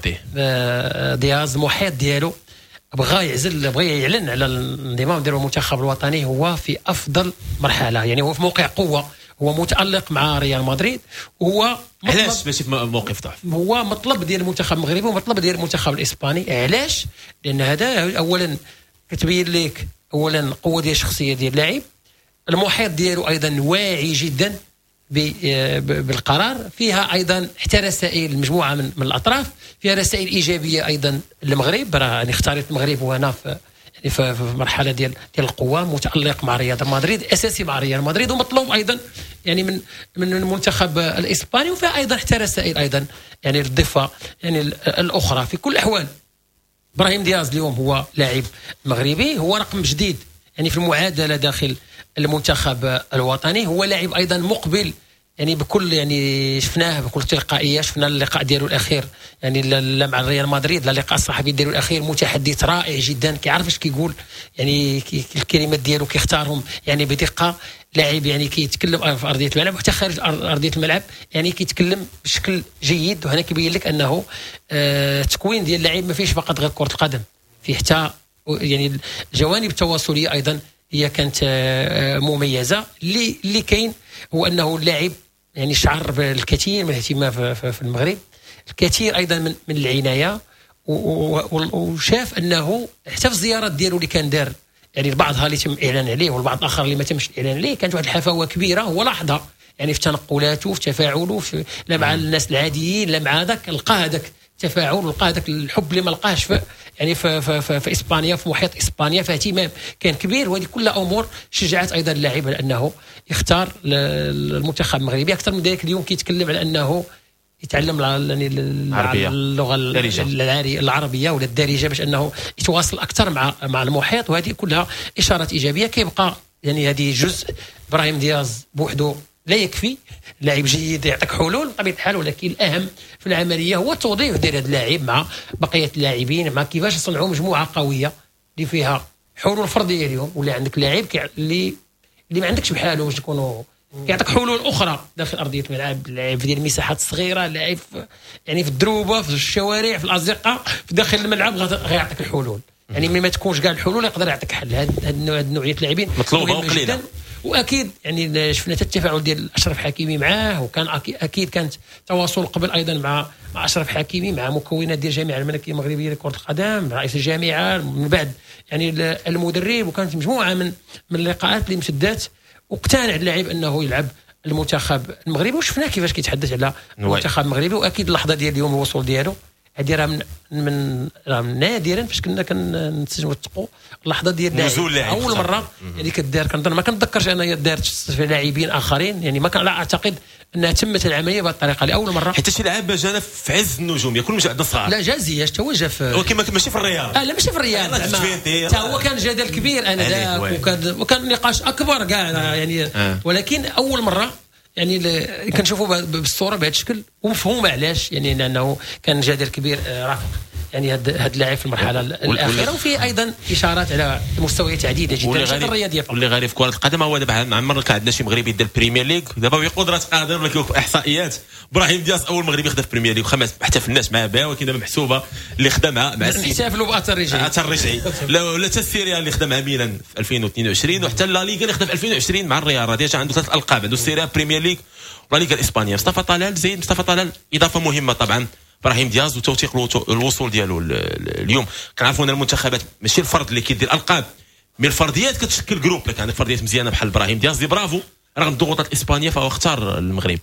دياز المحيط ديالو بغى يعزل، بغى يعلن على الانضمام ديالو المنتخب الوطني هو في افضل مرحلة، يعني هو في موقع قوة، هو متالق مع ريال مدريد، وهو علاش ماشي في موقف ضعف، هو مطلب ديال المنتخب المغربي ومطلب ديال المنتخب الاسباني. علاش؟ لان هذا اولا كتبين لك اولا القوة ديال الشخصية ديال اللاعب، المحيط ديالو ايضا واعي جدا بالقرار، فيها ايضا حتى رسائل مجموعة من, من الاطراف، فيها رسائل ايجابية ايضا للمغرب. راه يعني اختارت المغرب وهنا في يعني في مرحلة ديال ديال القوة، متالق مع ريال مدريد، اساسي مع ريال مدريد، ومطلوب ايضا يعني من من المنتخب الاسباني. وفيها ايضا حتى رسائل ايضا يعني للضفه يعني الاخرى. في كل الاحوال ابراهيم دياز اليوم هو لاعب مغربي، هو رقم جديد يعني في المعادلة داخل المنتخب الوطني، هو لاعب ايضا مقبل يعني بكل يعني شفناه بكل تلقائية، شفنا اللقاء ديالو الاخير يعني لا مع ريال مدريد، لا اللقاء الصحفي ديالو الاخير، متحدث رائع جدا، كيعرف اش كيقول يعني الكلمات ديالو كيختارهم يعني بدقة. لاعب يعني كيتكلم في ارضية الملعب وحتى خارج ارضية الملعب يعني كيتكلم بشكل جيد، وهنا كيبين لك انه آه تكوين ديال اللاعب ما فيش فقط غير كره القدم، فيه حتى يعني الجوانب التواصليه ايضا هي كانت مميزة. اللي اللي كاين هو انه اللاعب يعني شعر بالكثير من الاهتمام في المغرب، الكثير ايضا من من العناية، وشاف انه حتى في الزيارات ديالو اللي كان دار يعني البعضها اللي تم الاعلان عليه والبعض الاخر اللي ما تمش الاعلان عليه، كانت واحد الحفاوه كبيرة هو لاحظها يعني في تنقلاته، في تفاعله، في لا مع الناس العاديين لا مع هذاك، لقى هذاك التفاعل ولقى هذاك الحب اللي ما لقاهش في يعني في, في, في, في اسبانيا، في محيط اسبانيا، فاهتمام كان كبير. وهذه كلها امور شجعت ايضا اللاعب على انه يختار المنتخب المغربي. اكثر من ذلك اليوم كيتكلم على انه يتعلم يعني اللغة العربية ولا الدارجة باش انه يتواصل اكثر مع مع المحيط، وهذه كلها اشارات ايجابية. كيبقى يعني هذه جزء ابراهيم دياز بوحده لا يكفي، لاعب جيد يعطيك حلول بطبيعة الحال، ولكن الاهم في العملية هو التوظيف ديال هذا اللاعب مع بقية اللاعبين، مع كيفاش يصنعوا مجموعة قوية اللي فيها حلول فردية. اليوم ولا عندك لاعب اللي اللي ما عندكش بحاله باش يكونوا كيعطيك حلول اخرى داخل ارضية الملعب، لاعب ديال المساحات الصغيرة، لاعب يعني في الدروبه، في الشوارع، في الازقه، في داخل الملعب غيعطيك الحلول. يعني ملي ما تكونش كاع الحلول يقدر يعطيك حل. هاد هاد النوعية اللاعبين مطلوبه وقليله. واكيد يعني شفنا حتى التفاعل ديال اشرف حكيمي معاه، وكان اكيد كانت تواصل قبل ايضا مع مع اشرف حكيمي، مع مكونات ديال الجامعة الملكية المغربية لكرة القدم، رئيس الجامعة، من بعد يعني المدرب، وكانت مجموعة من من اللقاءات اللي امتدت، واقتنع اللاعب انه يلعب المنتخب المغربي، وشفنا كيفاش كيتحدث على المنتخب المغربي. واكيد اللحظة ديال اليوم الوصول ديالو هذه راه من من راه نادرا فاش كنا كنتوثقوا اللحظة ديال نزول اللاعب اول مرة يعني كدار، كنظن ما كنتذكرش انها دارت في لاعبين اخرين، يعني ما كان لا اعتقد انها تمت العملية بهذه الطريقة لاول مرة. حتى شي لعاب جانا في عز النجوم كل مش عندنا صغار. لا جا زياش تا هو جا في، ولكن ماشي في الريال. اه لا ماشي في الريال، حتى هو كان جدل كبير انذاك، وكان وكان نقاش اكبر كاع يعني آه. ولكن اول مرة يعني كنشوفوا بالصورة بهذا الشكل ومفهومه علاش، يعني لانه كان جدل كبير رافق يعني هذا هذا اللاعب في المرحلة الاخيرة، وفيه ايضا اشارات على مستويات عديدة جدا الرياضية. واللي غريب في كره القدم هو دابا ما عمرنا كان عندنا شي مغربي دار البريمير ليغ، دابا بقدره قادر ولا كيوقف احصائيات ابراهيم دياز اول مغربي خدا في البريمير ليغ، خمس ما احتفلناش معاه بها، ولكن دابا محسوبة اللي خدا مع مع احتفلوا باثر رجعي، اثر رجعي لا لا حتى السيريا اللي خدا مع ميلان في ألفين واثنين وعشرين، وحتى لا ليغا اللي خدا في ألفين وعشرين مع الريال، راه déjà عنده ثلاث القاب، عنده السيريا بريمير ليغ ولا ليغا الاسبانية. مصطفى طلال زيد، مصطفى طلال اضافه مهمة طبعا ابراهيم دياز وتوثيق الوصول ديالو اليوم. كنعرفوا ان المنتخبات ماشي الفرد اللي كيدير القاب، mais الفرديات كتشكل groupe، لك عندك فرديات مزيانه بحال ابراهيم دياز اللي برافو رغم الضغوطات الاسبانية فهو اختار المغرب.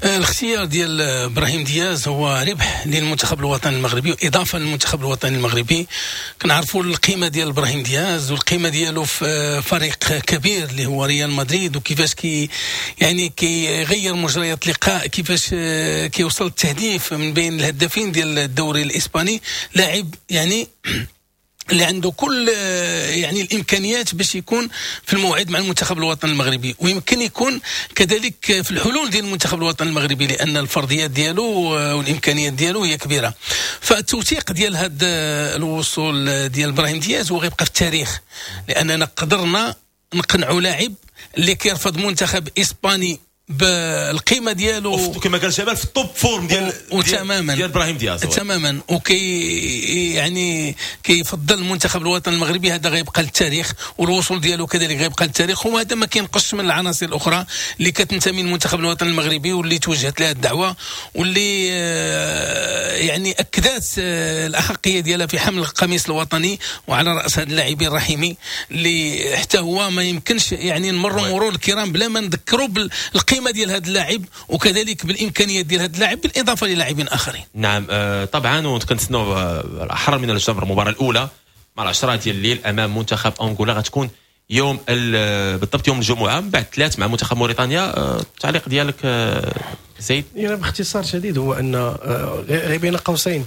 الاختيار ديال ابراهيم دياز هو ربح للمنتخب الوطني المغربي واضافه للمنتخب الوطني المغربي. كنعرفوا القيمة ديال ابراهيم دياز والقيمة ديالو في فريق كبير اللي هو ريال مدريد، وكيفاش كي يعني كيغير مجريات اللقاء، كيفاش كيوصل التهديف من بين الهدافين ديال الدوري الاسباني. لاعب يعني اللي عنده كل يعني الامكانيات باش يكون في الموعد مع المنتخب الوطني المغربي، ويمكن يكون كذلك في الحلول ديال المنتخب الوطني المغربي لان الفرضيات ديالو والامكانيات ديالو هي كبيرة. فالتوثيق ديال هذا الوصول ديال ابراهيم دياز هو غيبقى في التاريخ، لاننا قدرنا نقنعوا لاعب اللي كيرفض منتخب اسباني بالقيمة ديالو كما قال شباب في ال top forme ديال وتماما ديال ابراهيم دياز تماما، وكي يعني كيفضل المنتخب الوطني المغربي. هذا غيبقى للتاريخ، والوصول ديالو كذلك غيبقى للتاريخ، وهذا ما كينقصش من العناصر الاخرى اللي كتنتمي للمنتخب الوطني المغربي واللي توجهت لها الدعوة واللي يعني اكدت الاحقيه ديالها في حمل القميص الوطني، وعلى راس هذا اللاعبين الرحيمي اللي حتى هو ما يمكنش يعني نمروا مرور الكرام بلا ما نذكروا بالقيمة ديال هذا اللاعب وكذلك بالامكانيات ديال هذا اللاعب بالاضافة للاعبين اخرين. نعم آه طبعا، وكنتسناو احرر من الجمر المباراة الاولى مع العشرة ديال الليل امام منتخب انغولا، غتكون يوم بالضبط يوم الجمعة من بعد ثلاث مع منتخب موريتانيا. التعليق ديالك زيد؟ يعني باختصار شديد هو ان غير بين قوسين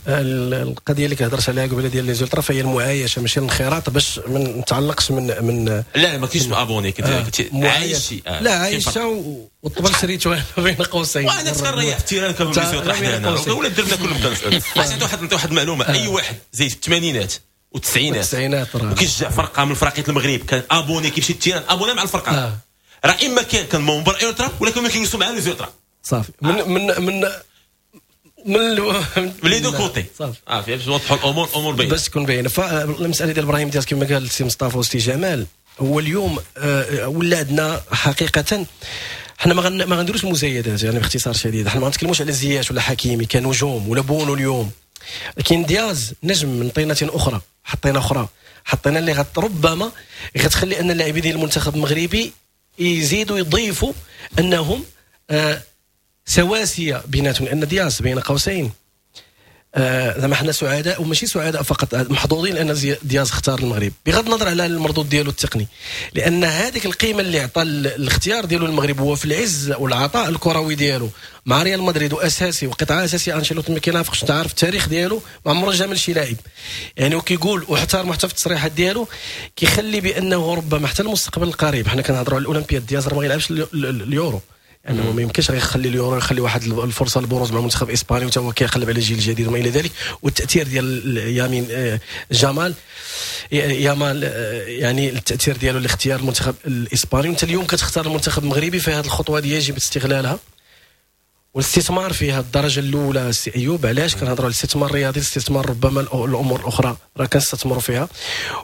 القضية اللي كهضرت عليها قبيلة ديال les ultras فهي المعايشه ماشي الانخراط، باش ما نتعلقش من من لا ما كاينش abonné كنت عايش آه. لا عايشه والطبل شريته بين قوسين، وانا تنريح في ال terrain كانوا les ultras حدانا ولا درنا كلهم كنسال. عرفتي واحد نعطي واحد المعلومة، اي واحد زيد في الثمانينات والتسعينات والتسعينات وكيشجع فرقه من فرقيه المغرب كان abonné كيمشي ال terrain abonné مع الفرقة، راه اما كان كان membre ultra ولا كانوا كيجلسوا مع les ultras صافي من من من من من les deux côtés صافي اه باش نوضحوا الامور الامور باينة باش تكون باينة. فالمسالة ديال ابراهيم دياز كما قال السي مصطفى والسي جمال، هو اليوم آه ولا عندنا حقيقة حنا ما ما غنديروش مزايدات، يعني باختصار شديد حنا ما غنتكلموش على زياش ولا حكيمي كنجوم ولا بونو اليوم، لكن دياز نجم من طينه اخرى، حطينا اخرى حطينا اللي غت ربما غتخلي ان اللاعبين ديال المنتخب المغربي يزيدوا يضيفوا انهم آه سواسية بيناتهم، لان دياز بين قوسين زعما آه حنا سعداء وماشي سعداء فقط، محظوظين لان دياز اختار المغرب بغض النظر على المردود ديالو التقني، لان هذيك القيمة اللي عطى الاختيار ديالو المغرب هو في العز والعطاء الكروي ديالو مع ريال مدريد واساسي وقطعه اساسية. انشيلوتي ما كينافقش، انت عارف التاريخ ديالو ما عمره جامل شي لاعب يعني، وكيقول واحترم حتى في التصريحات ديالو كيخلي بانه ربما حتى المستقبل القريب، حنا كنهضروا على الاولمبياد، دياز راه ما غيلعبش اليورو، يعني ما يمكنش غيخلي اليورو يخلي واحد الفرصة للبروز مع المنتخب الاسباني وتا هو كيقلب على الجيل الجديد وما الى ذلك. والتاثير ديال يامين جمال يامال يعني التاثير ديالو لاختيار المنتخب الاسباني، وانت اليوم كتختار المنتخب المغربي، فهذه الخطوة دي يجب استغلالها والاستثمار فيها الدرجة الاولى. سي ايوب علاش كنهضروا على الاستثمار الرياضي، الاستثمار ربما الامور الاخرى راه كنستثمروا فيها،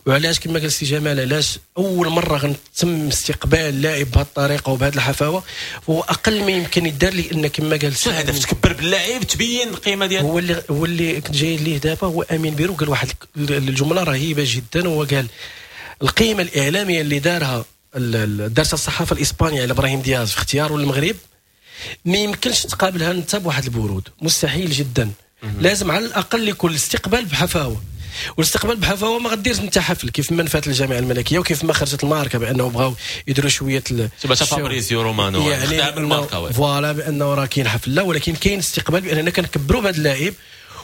وعلاش كما قال سي جمال علاش اول مرة غنتم استقبال لاعب بهذه الطريقة وبهذه الحفاوه، فهو اقل ما يمكن يدار، لان كما قال شنو الهدف؟ تكبر باللاعب تبين القيمة ديالو. هو اللي هو اللي كنت جاي ليه دابا هو امين بيرو، قال واحد الجملة رهيبة جدا، هو قال القيمة الاعلامية اللي دارها دارتها الصحافة الاسبانية على ابراهيم دياز في اختياره للمغرب ما يمكنش تقابلها انت بواحد البرود، مستحيل جدا. لازم على الاقل يكون الاستقبال بحفاوه، والاستقبال بحفاوه ما غديرش انت حفل كيف ما نفات الجامعة الملكية وكيف ما خرجت الماركة بانه بغاو يديروا شوية تبع فابريزيو رومانو يعني الماركة voilà بانه راه كاين حفل، لا ولكن كاين استقبال باننا كنكبروا بهذا اللاعب،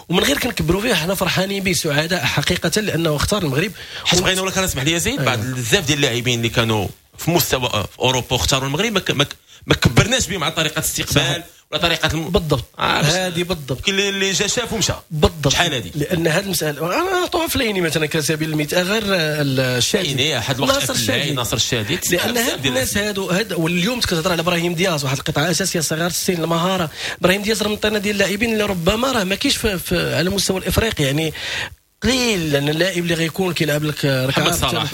ومن غير كنكبروا فيه حنا فرحانين به سعداء حقيقة لانه اختار المغرب. حيت بغينا ولا كنسمح لي زيد بعد بزاف ديال اللاعبين اللي كانوا في مستوى في اوروبا واختاروا المغرب ما, ما كبرناش بهم على طريقه الاستقبال ولا طريقه الم... بالضبط هذه بالضبط كاين اللي جا شاف ومشى بالضبط شحال هذه، لان هذه المسالة انا نعطوها فليني مثلا كسبيل المثال غير الشادي احد الوقت ناصر الشادي ناصر الشادي لان هاد الناس هادو هاد واليوم كتهضر على ابراهيم دياز واحد القطعة اساسية صغار السن المهارة، ابراهيم دياز راه من الطينه ديال اللاعبين اللي ربما راه ما كاينش في على المستوى الافريقي، يعني قليل لان اللاعب اللي غيكون كيلعب لك محمد صلاح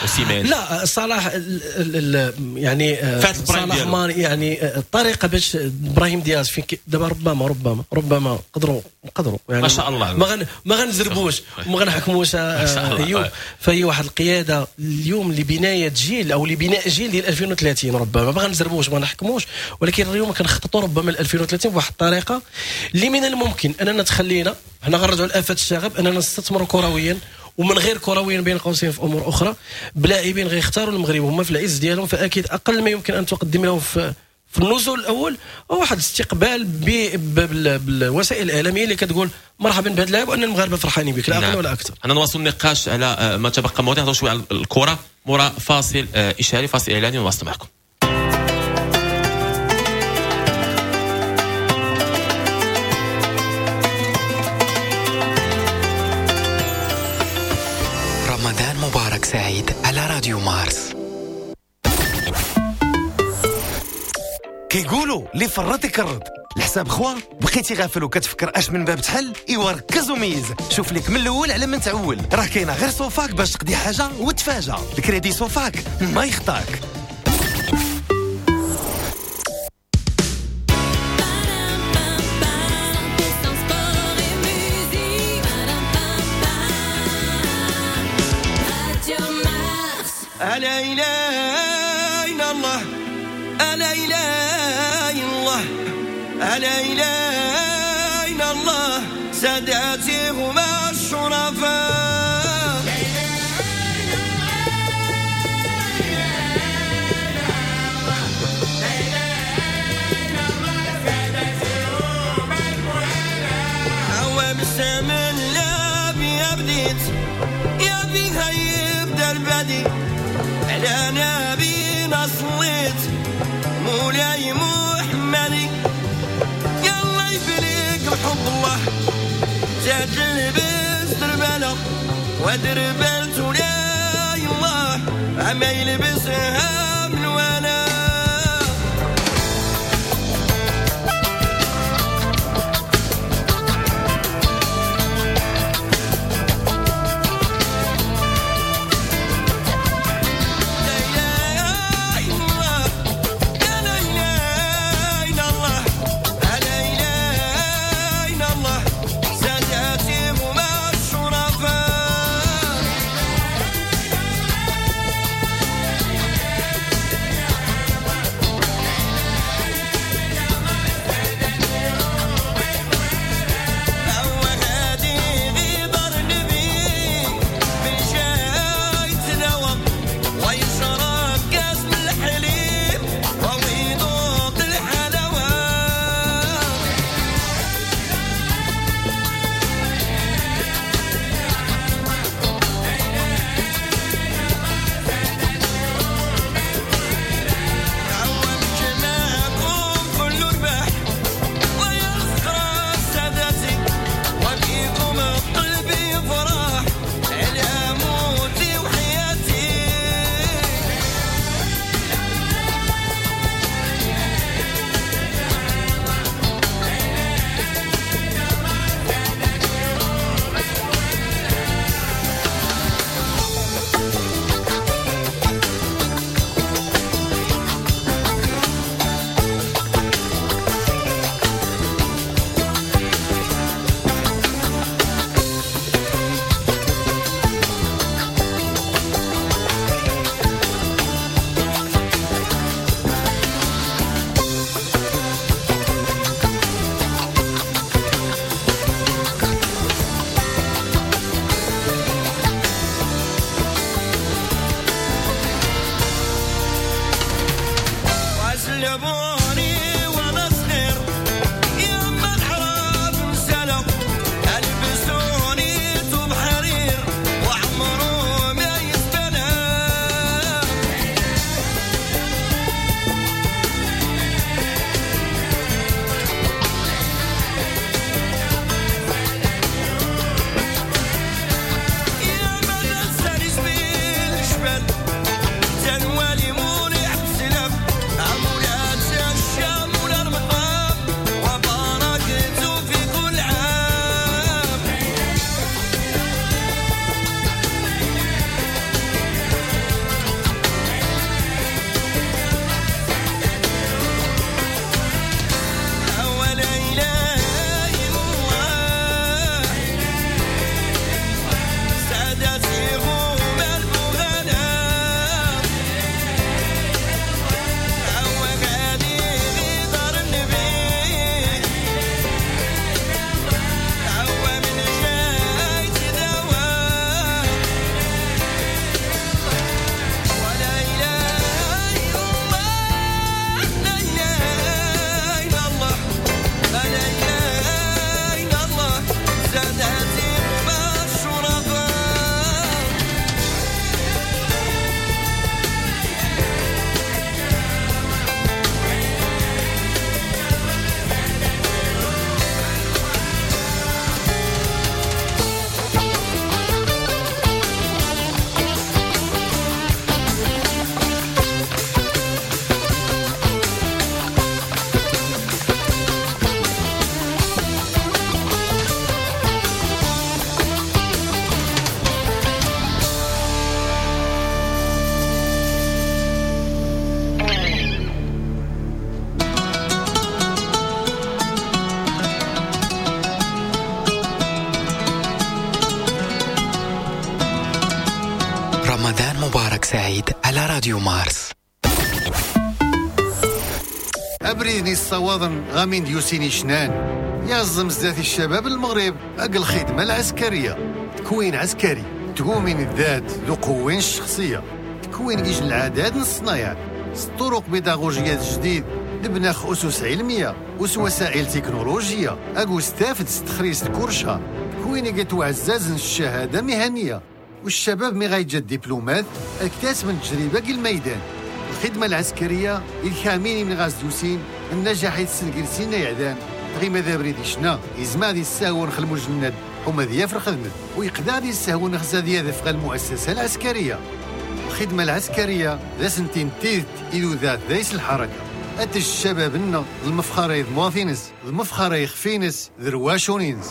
وسيمان لا صلاح ال ال يعني صلاح ما يعني الطريقة باش ابراهيم دياز فين دابا ربما ربما ربما قدروا قدروا يعني ما شاء الله ما غن ما غنزربوش وما غنحكموش ايوب، فهي واحد القيادة اليوم لبنايه جيل او لبناء جيل ديال ألفين وثلاثين ربما ما غنزربوش ما نحكموش، ولكن اليوم كنخططوا ربما ل ألفين وثلاثين بواحد الطريقة اللي من الممكن اننا تخلينا حنا غنرجعوا لآفات الشغب اننا نستثمروا كرويا ومن غير كرويا بين قوسين في امور اخرى بلاعبين غيختاروا المغرب هما في العز ديالهم، فاكيد اقل ما يمكن ان تقدم لهم في في النزول الاول هو واحد الاستقبال بالوسائل الاعلامية اللي كتقول مرحبا بهذا اللاعب وان المغاربة فرحانين بك لا اقل ولا اكثر. انا نواصل النقاش على ما تبقى مواضيع، نهضروا شوية على الكره مورا فاصل اشهاري فاصل اعلاني ونواصل معكم. رمضان مبارك سعيد على راديو مارس. كيقولوا اللي فرط يكرد الحساب خوا، بقيتي غافل وكتفكر اش من باب تحل، ايوا ركز وميز، شوف لك من الاول على من تعول، راه كاينه غير صوفاك باش تقضي حاجة وتفاجأ، الكريدي صوفاك ما يخطاك. لا إله إلا الله، لا إله إلا الله، لا إله إلا الله، ساداتي هما الشرفاء. هو بالسمن لا بيا بديت يا بيها يبدا البدي، على نبينا صليت مولاي محمدي، يلا يبليك بحب الله زاد لبس دربالة ودربالت ولا الله عما يلبسها من وانا. Yeah. جابوني وانا صغير يا ما الحرام سلام البسوني ثوب حرير وعمره ما يستنى. يا ما ننسى جبيل الجبل تنوالي مولي عبد السلام عمولات الشام ولا المقام وبركته في كل عام. ولا إله إلا الله سادتي غوم البغناء هو غادي غدار النبي هو من جاي تداوى ولا إله إلا الله لا إله إلا الله لا إله إلا الله سادتي غوم الشرفاء. رمضان مبارك سعيد على راديو مارس. أبريني الصواضن غامين ديوسيني شنان يا الزمزات الشباب المغرب أقل الخدمة العسكرية تكوين عسكري تقومين الذات ذو قوين الشخصية تكوين إجل العادات الصنايع طرق بيداغوجيات جديد نبناخ أسس علمية أس وسائل تكنولوجية أقو استافد استخريس الكرشة تكوين قد الشهادة مهنية والشباب مي غايجا الدبلومات اكتاس من تجربة كي الميدان. الخدمة العسكرية الكاميني من غاز دوسين النجاح يتسنقلسين يعدان غي ماذا بريد شنا يزما دي السهو نخل المجند وما ذي في الخدمة ويقدر دي السهو نخزا دي ذا المؤسسة العسكرية. الخدمة العسكرية ذا سنتين تيت إلو ذات ذيس الحركة أتج الشباب لنا المفخرة مواثينس المفخرة يخفينس ذرواشونينس.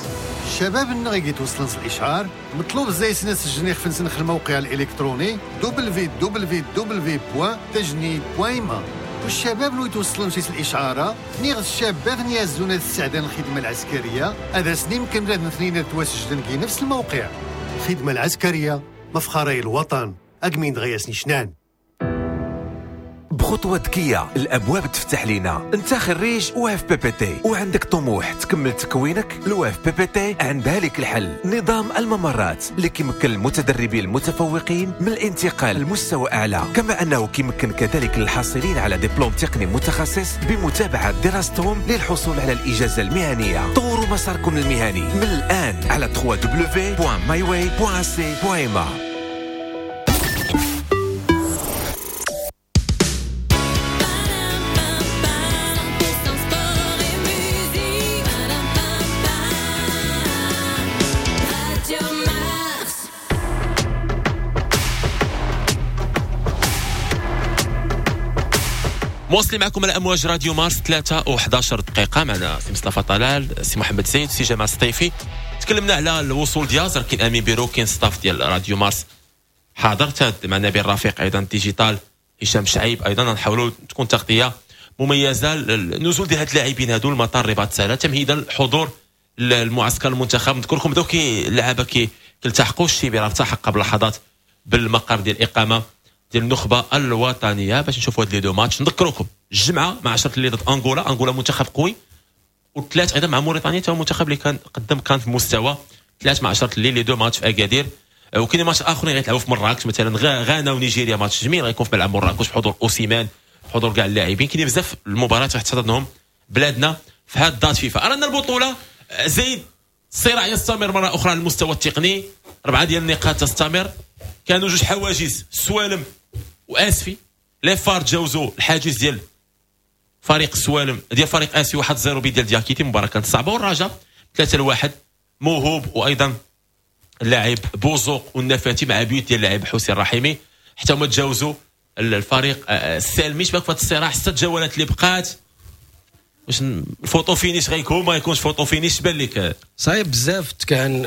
الشباب لنا غيجي توصلنس الإشعار مطلوب زي سنس الجنيخ فنسنخ الموقع الإلكتروني دبليو دبليو دبليو دوت تجنيد دوت ما. والشباب لو يتوصلون شي الإشعارة نيغ الشابات نيازون السعدان الخدمة العسكرية هذا سنين يمكن بلاد اثنين تواسجدن كي نفس الموقع. الخدمة العسكرية مفخرة الوطن أقمين دغياسني شنان. بخطوة ذكية الأبواب تفتح لنا. أنت خريج أو إف بي بي تي وعندك طموح تكمل تكوينك، الأو إف بي بي تي عندها لك الحل. نظام الممرات اللي كيمكن المتدربين المتفوقين من الانتقال لمستوى أعلى، كما أنه كيمكن كذلك الحاصلين على دبلوم تقني متخصص بمتابعة دراستهم للحصول على الإجازة المهنية. طوروا مساركم المهني من الآن على دبليو دبليو دبليو دوت ماي واي دوت إيه سي دوت إم إيه. مواصلين معكم على امواج راديو مارس ثلاثة وأحد عشر دقيقة. معنا سي مصطفى طلال، سي محمد زين، سي جمال السطيفي. تكلمنا على الوصول دياز، راه كاين امين بيرو، كاين staff ديال راديو مارس حاضر، مع نبيل رفيق ايضا digital، هشام شعيب ايضا. نحاولوا تكون تغطيه مميزة النزول ديال هاد اللاعبين هادو المطار رباط سالا تمهيدا لحضور المعسكر المنتخب. نذكركم بداو كي اللعابه كي كيلتحقوا، الشيبي راه التحق قبل لحظات بالمقر ديال الاقامة ديال النخبة الوطنية باش نشوفوا هاد les deux matchs. نذكركم الجمعة مع عشرة الليل ضد انغولا، انغولا منتخب قوي، والثلاث ايضا مع موريتانيا تا هو منتخب اللي كان قدم كان في مستوى. ثلاث مع عشرة الليل les deux matchs في اكادير. وكاين ماتش اخرين غيتلعبوا في مراكش، مثلا غانا ونيجيريا ماتش جميل غيكون في ملعب مراكش بحضور اوسيمان حضور كاع اللاعبين. كاين بزاف المباريات راح تحتضنهم بلادنا في هذه date فيفا. ارانا البطولة زيد، الصراع يستمر مرة اخرى على المستوى التقني، اربعة ديال النقاط تستمر. كانوا جوج حواجز، السوالم واسفي، les FAR تجاوزوا الحاجز ديال فريق السوالم ديال فريق اسفي واحد صفر بيد ديال دياكيتي، مباراة كانت صعبة. والرجاء ثلاثة لواحد، موهوب وايضا اللاعب بوزوق والنفاتي مع بيوت ديال اللاعب حسين الرحيمي، حتى هما تجاوزوا الفريق السالمي. شباك في هذا الصراع ست جولات اللي بقات، واش ال photo finish غيكون ما يكونش photo finish؟ بان لك صعيب بزاف كان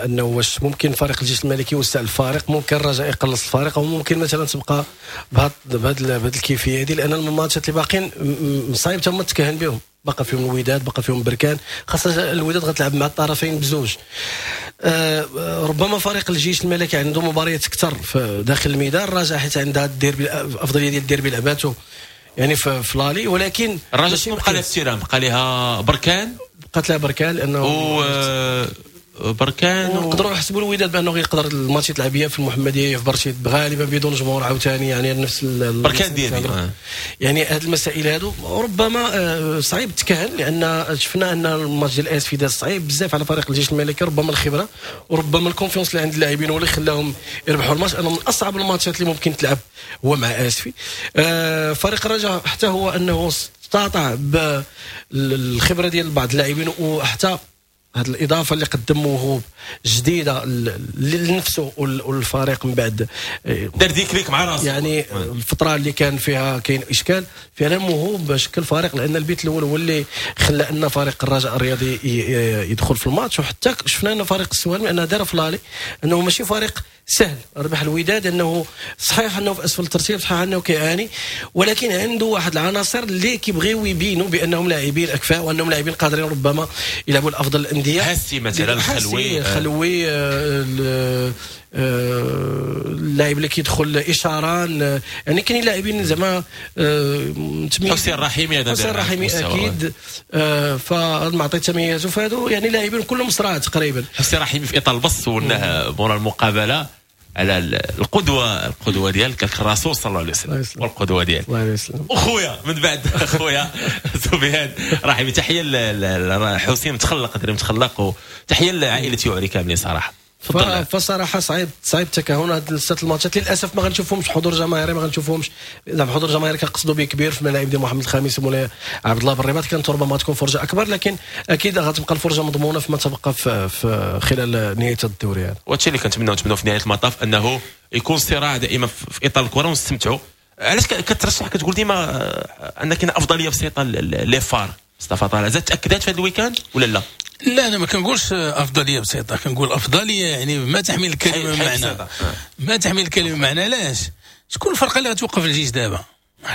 انه واش ممكن فريق الجيش الملكي يوسع الفارق، ممكن الرجاء يقلص الفارق، او ممكن مثلا تبقى بهاد بهاد بهاد الكيفية هذه، لان الماتشات اللي باقيين صعيب تما تكهن بهم. بقى فيهم الوداد، بقى فيهم بركان، خاصة الوداد غتلعب مع الطرفين بزوج. آه ربما فريق الجيش الملكي عنده مباريات اكثر في داخل الميدان، الرجاء حيت عندها الديربي، الافضلية ديال الديربي لعباتو يعني في ف l'aller، ولكن الرجاء شنو بقى لها في ال terrain؟ بقى لها بركان، بقات لها بركان لانه و بركان، ونقدروا نحسبوا الوداد بانه يقدر الماتش يتلعب في المحمدية في برشيد غالبا بدون جمهور عاوتاني، يعني نفس بركان ديالي. يعني هذه المسائل هادو ربما صعيب تكهن، لان شفنا ان الماتش ديال اسفي داز صعيب بزاف على فريق الجيش الملكي، ربما الخبرة وربما ال confiance اللي عند اللاعبين هو اللي خلاهم يربحوا الماتش. انا من اصعب الماتشات اللي ممكن تلعب هو مع اسفي. فريق الرجاء حتى هو انه استطاع بالخبرة ديال بعض اللاعبين وحتى هذه الاضافة اللي قدموه جديدة لنفسه والفريق من بعد دار déclic مع راسه، يعني الفترة اللي كان فيها كاين اشكال فعلا موهوب شكل فريق، لان البيت الاول هو اللي خلى ان فريق الرجاء الرياضي يدخل في الماتش. وحتى شفنا ان فريق السوالم انه دار في l'aller انه ماشي فريق سهل ربح الوداد، انه صحيح انه في اسفل الترتيب، صحيح انه كيعاني، ولكن عنده واحد العناصر اللي كيبغيو يبينوا بانهم لاعبين اكفاء وانهم لاعبين قادرين ربما يلعبوا الافضل الاندية. حسي مثلا الخلوي، خلوي اللاعب اللي كيدخل اشاران، يعني كاين لاعبين زعما حسين الرحيمي، هذا حسين الرحيمي اكيد فالمعطي تميزوا، فهادو يعني لاعبين كلهم صراع تقريبا. حسين الرحيمي في اطار البص سولناه مورا المقابلة على القدوة، القدوة ديالك الرسول صلى الله عليه وسلم والقدوة ديالك الله عليه وسلم. وخويا من بعد خويا سفيان رحيمي، تحية لحسين متخلق، دري متخلق، وتحية لعائلة يعري كاملين صراحة. فصراحة صعيب صعيب التكهن هاد الست الماتشات للاسف ما غنشوفهمش حضور جماهيري، ما غنشوفهمش زعما حضور جماهيري كنقصدوا به كبير في ملاعب ديال محمد الخامس ومولاي عبد الله بالرباط، كانت ربما تكون فرجه اكبر، لكن اكيد غتبقى الفرجة مضمونه فيما تبقى في, في خلال نهاية الدوري. يعني وهادشي اللي كنتمناو نتمناو في نهاية المطاف انه يكون صراع دائما في اطار الكره ونستمتعوا. علاش كترشح كتقول ديما ان كاين افضلية بسيطة les FAR؟ مصطفى طالع زاد تاكدات في هذا ال week-end ولا لا؟ لا انا ما كنقولش افضلية بسيطة، كنقول افضلية يعني ما تحمل الكلمة معنى، ما تحمل الكلمة معنى. علاش؟ شكون الفرقة اللي غتوقف الجيش دابا؟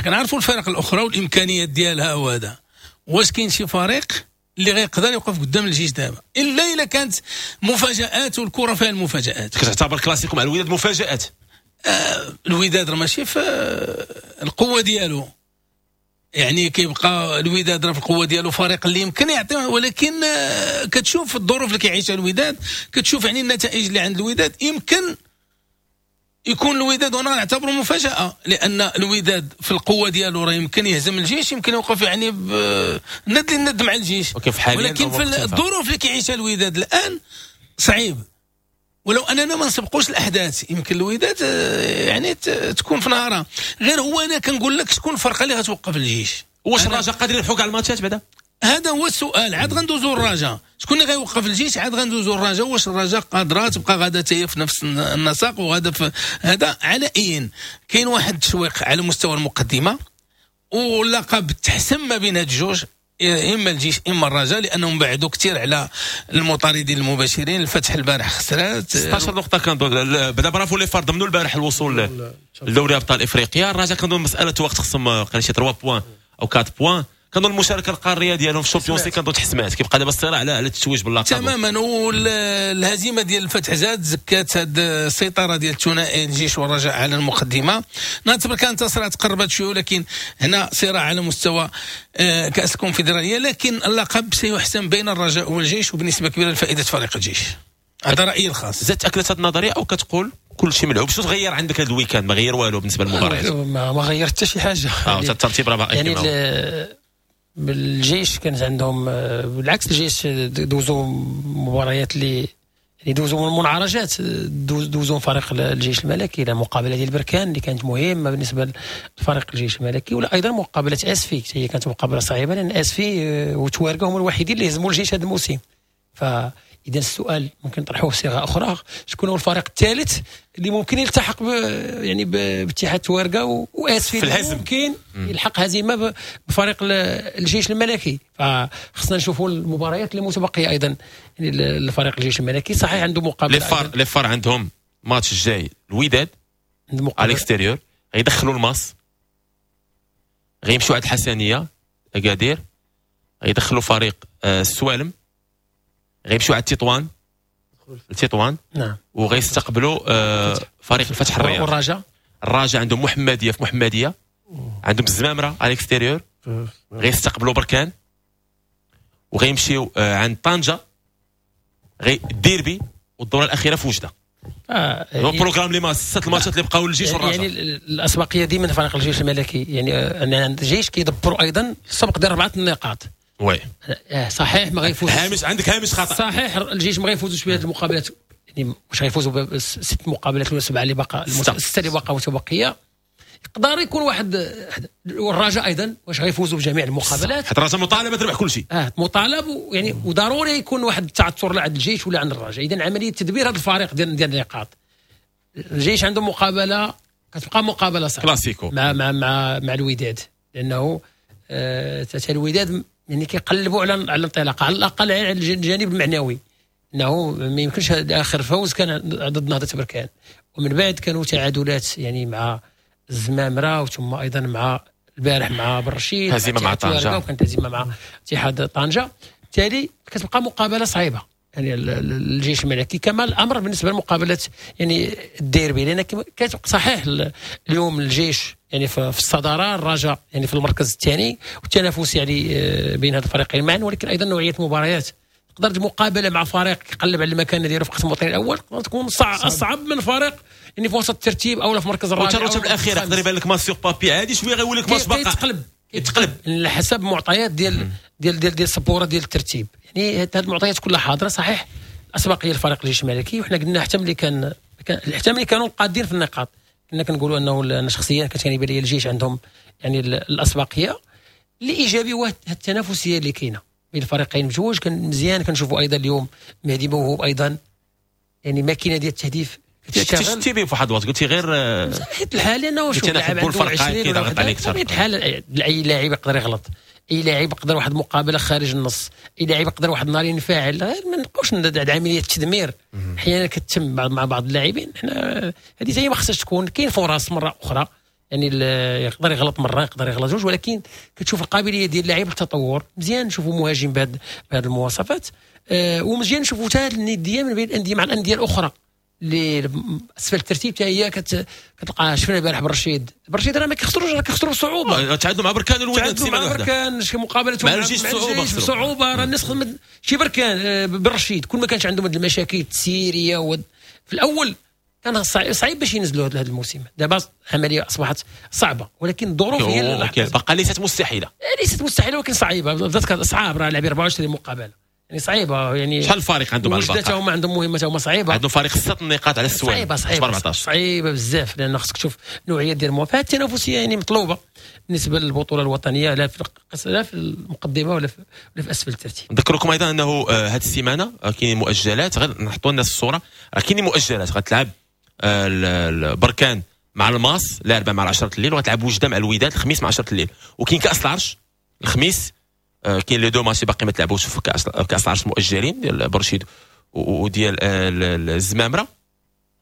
كنعرفوا الفرق الاخرى والامكانيات ديالها وهذا، واش كاين شي فريق اللي غيقدر يوقف قدام الجيش دابا؟ الا الا كانت مفاجات، والكره فيها المفاجات. كتعتبر كلاسيكو مع الوداد مفاجات؟ آه الوداد راه ماشي في القوة ديالو، يعني كيبقى الوداد راه في القوة ديالو فريق اللي يمكن يعطي، ولكن كتشوف الظروف اللي كيعيشها الوداد، كتشوف يعني النتائج اللي عند الوداد، يمكن يكون الوداد وانا نعتبره مفاجاة، لان الوداد في القوة ديالو راه يمكن يهزم الجيش، يمكن يوقف يعني ند للند مع الجيش، ولكن في الظروف اللي كيعيشها الوداد الان صعيب. ولو اننا ما نسبقوش الاحداث يمكن الوداد يعني تكون في نهارها. غير هو انا كنقول لك شكون الفرقة اللي غتوقف الجيش؟ واش الرجاء قادر يلحق على الماتشات بعدا؟ هذا هو السؤال. عاد غندوزو الرجاء، شكون اللي غيوقف الجيش؟ عاد غندوزو الرجاء، واش الرجاء قادرة تبقى غادا حتى في نفس النسق وغادا في هذا؟ على اين كاين واحد التشويق على مستوى المقدمة واللقب تحسم ما بين هاد الجوج، اما الجيش اما الرجاء، لانهم بعدوا كثير على المطاردين المباشرين. الفتح البارح خسرات ستة عشر نقطة، كنظن بدا bravo les FAR ضمنوا البارح الوصول لدوري ابطال افريقيا. الرجاء كنظن مسالة وقت، خصهم قال شي ثلاثة points او أربعة points، كنظن المشاركة القارية ديالهم في ال Champions League كنظن تحسمات. كيبقى دابا الصراع على على التتويج باللقب تماما. والهزيمة ديال الفتح زاد زكات هاد السيطرة ديال الثنائي الجيش والرجاء على المقدمة. نعتبر كانت صراع تقربت شوية، ولكن هنا صراع على مستوى كاس الكونفدراليه، لكن اللقب سيحسم بين الرجاء والجيش وبنسبة كبيرة لفائدة فريق الجيش. هذا رايي الخاص. زاد تاكدت هذه النظرية او كتقول كل شيء ملعوب. شنو تغير عندك هذا ال week-end؟ ما غير والو بالنسبة للمباريات، ما غير حتى شي حاجة. اه الترتيب راه باقي يعني الجيش كانت عندهم بالعكس، الجيش دوزوا مباريات اللي يعني دوزوا منعرجات، دوزوا فريق الجيش الملكي الى مقابله ديال بركان اللي كانت مهمة بالنسبة لفريق الجيش الملكي، ولا ايضا مقابله اسفي هي كانت مقابله صعيبة لان اسفي وتوارقه هم الوحيدين اللي هزموا الجيش هذا الموسم. فاذا السؤال ممكن نطرحوه بصيغة اخرى، شكون هو الفريق الثالث اللي ممكن يلتحق ب يعني باتحاد توارقه واسفي في الهزم، ممكن يلحق هزيمة بفريق الجيش الملكي؟ فخصنا نشوفوا المباريات اللي متبقيه ايضا يعني الفريق الجيش الملكي صحيح عنده مقابله، les FAR les FAR عندهم ماتش الجاي الوداد à l'extérieur، غيدخلوا الماس، غيمشوا عند الحسنيه اكادير، غيدخلوا فريق السوالم، غيمشوا على تطوان تطوان نعم، وغيستقبلوا آه فريق الفتح الرياض. والرجاء الرجاء عندهم محمديه في محمديه، عندهم الزمامره à l'extérieur، غيستقبلوا بركان، وغيمشيو آه عند طنجه، غي الديربي، والدوره الاخيرة في وجده. آه يعني programme لي ما ست الماتشات اللي بقاو للجيش والرجاء. يعني الاسبقيه ديما فريق الجيش الملكي، يعني الجيش كيدبروا ايضا السبق ديال اربعة النقاط. oui صحيح ما غيفوز، هامش عندك هامش خطا، صحيح الجيش ما غيفوزوش بهذه المقابلات، يعني واش غيفوزوا بست مقابلات ولا سبعة اللي باقا، ستة اللي باقا متبقيه، يقدر يكون واحد. والرجاء ايضا واش غيفوزوا بجميع المقابلات؟ حتى الرجاء مطالبه تربح كل شيء، اه مطالب يعني وضروري يكون واحد التعثر لا عند الجيش ولا عند الرجاء. اذا عملية تدبير هذا الفريق ديال ديال النقاط، الجيش عنده مقابله كتبقى مقابله صعبة كلاسيكو مع مع مع مع الوداد، لانه آه الوداد يعني كيقلبوا على على الانطلاقة على الاقل على الجانب المعنوي، انه ما يمكنش اخر فوز كان ضد نهضة بركان، ومن بعد كانوا تعادلات يعني مع الزمامره، وثم ايضا مع البارح مع برشيد، هزيمة مع طنجه، وكانت هزيمة مع اتحاد طنجه. بالتالي كتبقى مقابله صعيبة يعني الجيش الملكي، كما الامر بالنسبة لمقابلة يعني الديربي، لان كتبقى صحيح اليوم الجيش يعني في الصدارة، الرجاء يعني في المركز الثاني، والتنافس يعني بين هاد الفريقين معا، ولكن ايضا نوعية المباريات تقدر مقابله مع فريق يقلب على المكان ديالو في القسم الوطني الاول تقدر تكون صعب اصعب من فريق يعني في وسط الترتيب او في المركز الرابع. والرتب الاخيرة يقدر يبان لك match sur papier عادي شوية غيولي لك ماتش باقي يتقلب يتقلب على حسب معطيات ديال ديال ديال ديال السبوره ديال الترتيب. يعني هذه المعطيات كلها حاضره. صحيح الاسبقيه لفريق الجيش الملكي، وحنا قلنا حتى ملي كان حتى ملي كانوا قادين في النقاط كنا كنقولوا انه انا شخصيا كانت كيبان لي الجيش عندهم يعني الاسبقيه. اللي ايجابي هو التنافسية اللي كاينه بين الفريقين بجوج، كان مزيان. كنشوفوا ايضا اليوم مهدي موهوب ايضا يعني ماكينة ديال التهديف كتشتي به في واحد الوقت، قلتي غير حيت الحال لانه شوف لاعب عنده عشرين كيضغط عليك اكثر. الحال اي لاعب يقدر يغلط، اي لاعب يقدر واحد مقابله خارج النص، اي لاعب يقدر واحد النهار ينفعل. ما نبقاوش عملية التدمير احيانا كتتم مع بعض اللاعبين. حنا هذه هي ما خصهاش تكون. كاين فرص مرة اخرى يعني يقدر يغلط مرة يقدر يغلط جوج، ولكن كتشوف القابلية ديال اللاعب للتطور. مزيان نشوفوا مهاجم بهذه بهذه المواصفات، أه ومزيان نشوفوا حتى الندية من بين الاندية مع الاندية الاخرى اللي اسفل الترتيب حتى هي كتلقى. شفنا البارح برشيد، برشيد راه ما كيخسروش، راه كيخسروا بصعوبة. تعادلوا مع بركان الوداد سيمانه واحدة، بركان شي مقابله مع الجيش بصعوبة، بصعوبة راه الناس شي بركان برشيد كل ما كانش عندهم هاد المشاكل التسييريه و... في الاول كان صعيب باش ينزلوا هذا الموسم. دابا العملية اصبحت صعبة، ولكن الظروف هي اللي بقى ليست مستحيلة، ليست مستحيلة ولكن صعيبة. بدات صعاب راه لاعبين أربعة وعشرين مقابله يعني صعيبة. يعني شحال الفريق عندهم على البقاء؟ هما عندهم مهمة هما صعيبة، عندهم فريق ست نقاط على السوالم، صعيبة صعيبة صعيبة بزاف، لان خصك تشوف نوعية ديال المواقف. التنافسية يعني مطلوبه بالنسبة للبطولة الوطنية، لا في لا في المقدمة ولا في ولا في اسفل الترتيب. نذكركم ايضا انه هذه السيمانة كاين مؤجلات، غير نحطوا الناس الصورة، راه كاين مؤجلات. غتلعب البركان مع الماس الاربعاء مع عشرة الليل، وغتلعب وجده مع الوداد الخميس مع عشرة الليل، وكاين كاس العرش الخميس. كاين les deux matchs باقي ما تلعبوش في كاس كاس العرش مؤجلين ديال برشيد وديال الزمامره.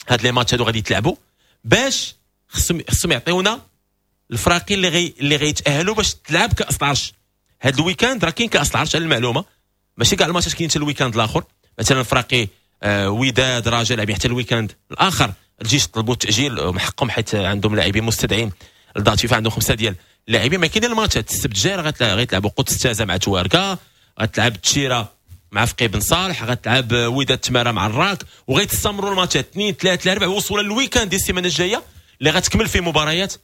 هاد les matchs هادو غادي يتلعبوا باش خصهم خصهم يعطيونا الفراقي اللي غي اللي غيتاهلوا باش تلعب كاس العرش هاد ال week-end. راه كاين كاس العرش على المعلومة، ماشي كاع الماتشات كاين حتى ال week-end الاخر. مثلا فراقي آه وداد رجاء لاعبين حتى ال week-end الاخر. الجيش طلبوا التاجيل من حقهم حيت عندهم لاعبين مستدعين ل date FIFA، عندهم خمسة ديال اللاعبين. ما كاين الماتشات السبت الجاي راه غيتلعبوا قدس تازا مع تواركا، غتلعب تشيره مع فقيه بن صالح، غتلعب وداد تماره مع الراك، وغيتستمروا الماتشات اثنين ثلاثة أربعة وصولا لل week-end ديال السيمانة الجاية اللي غتكمل فيه مباريات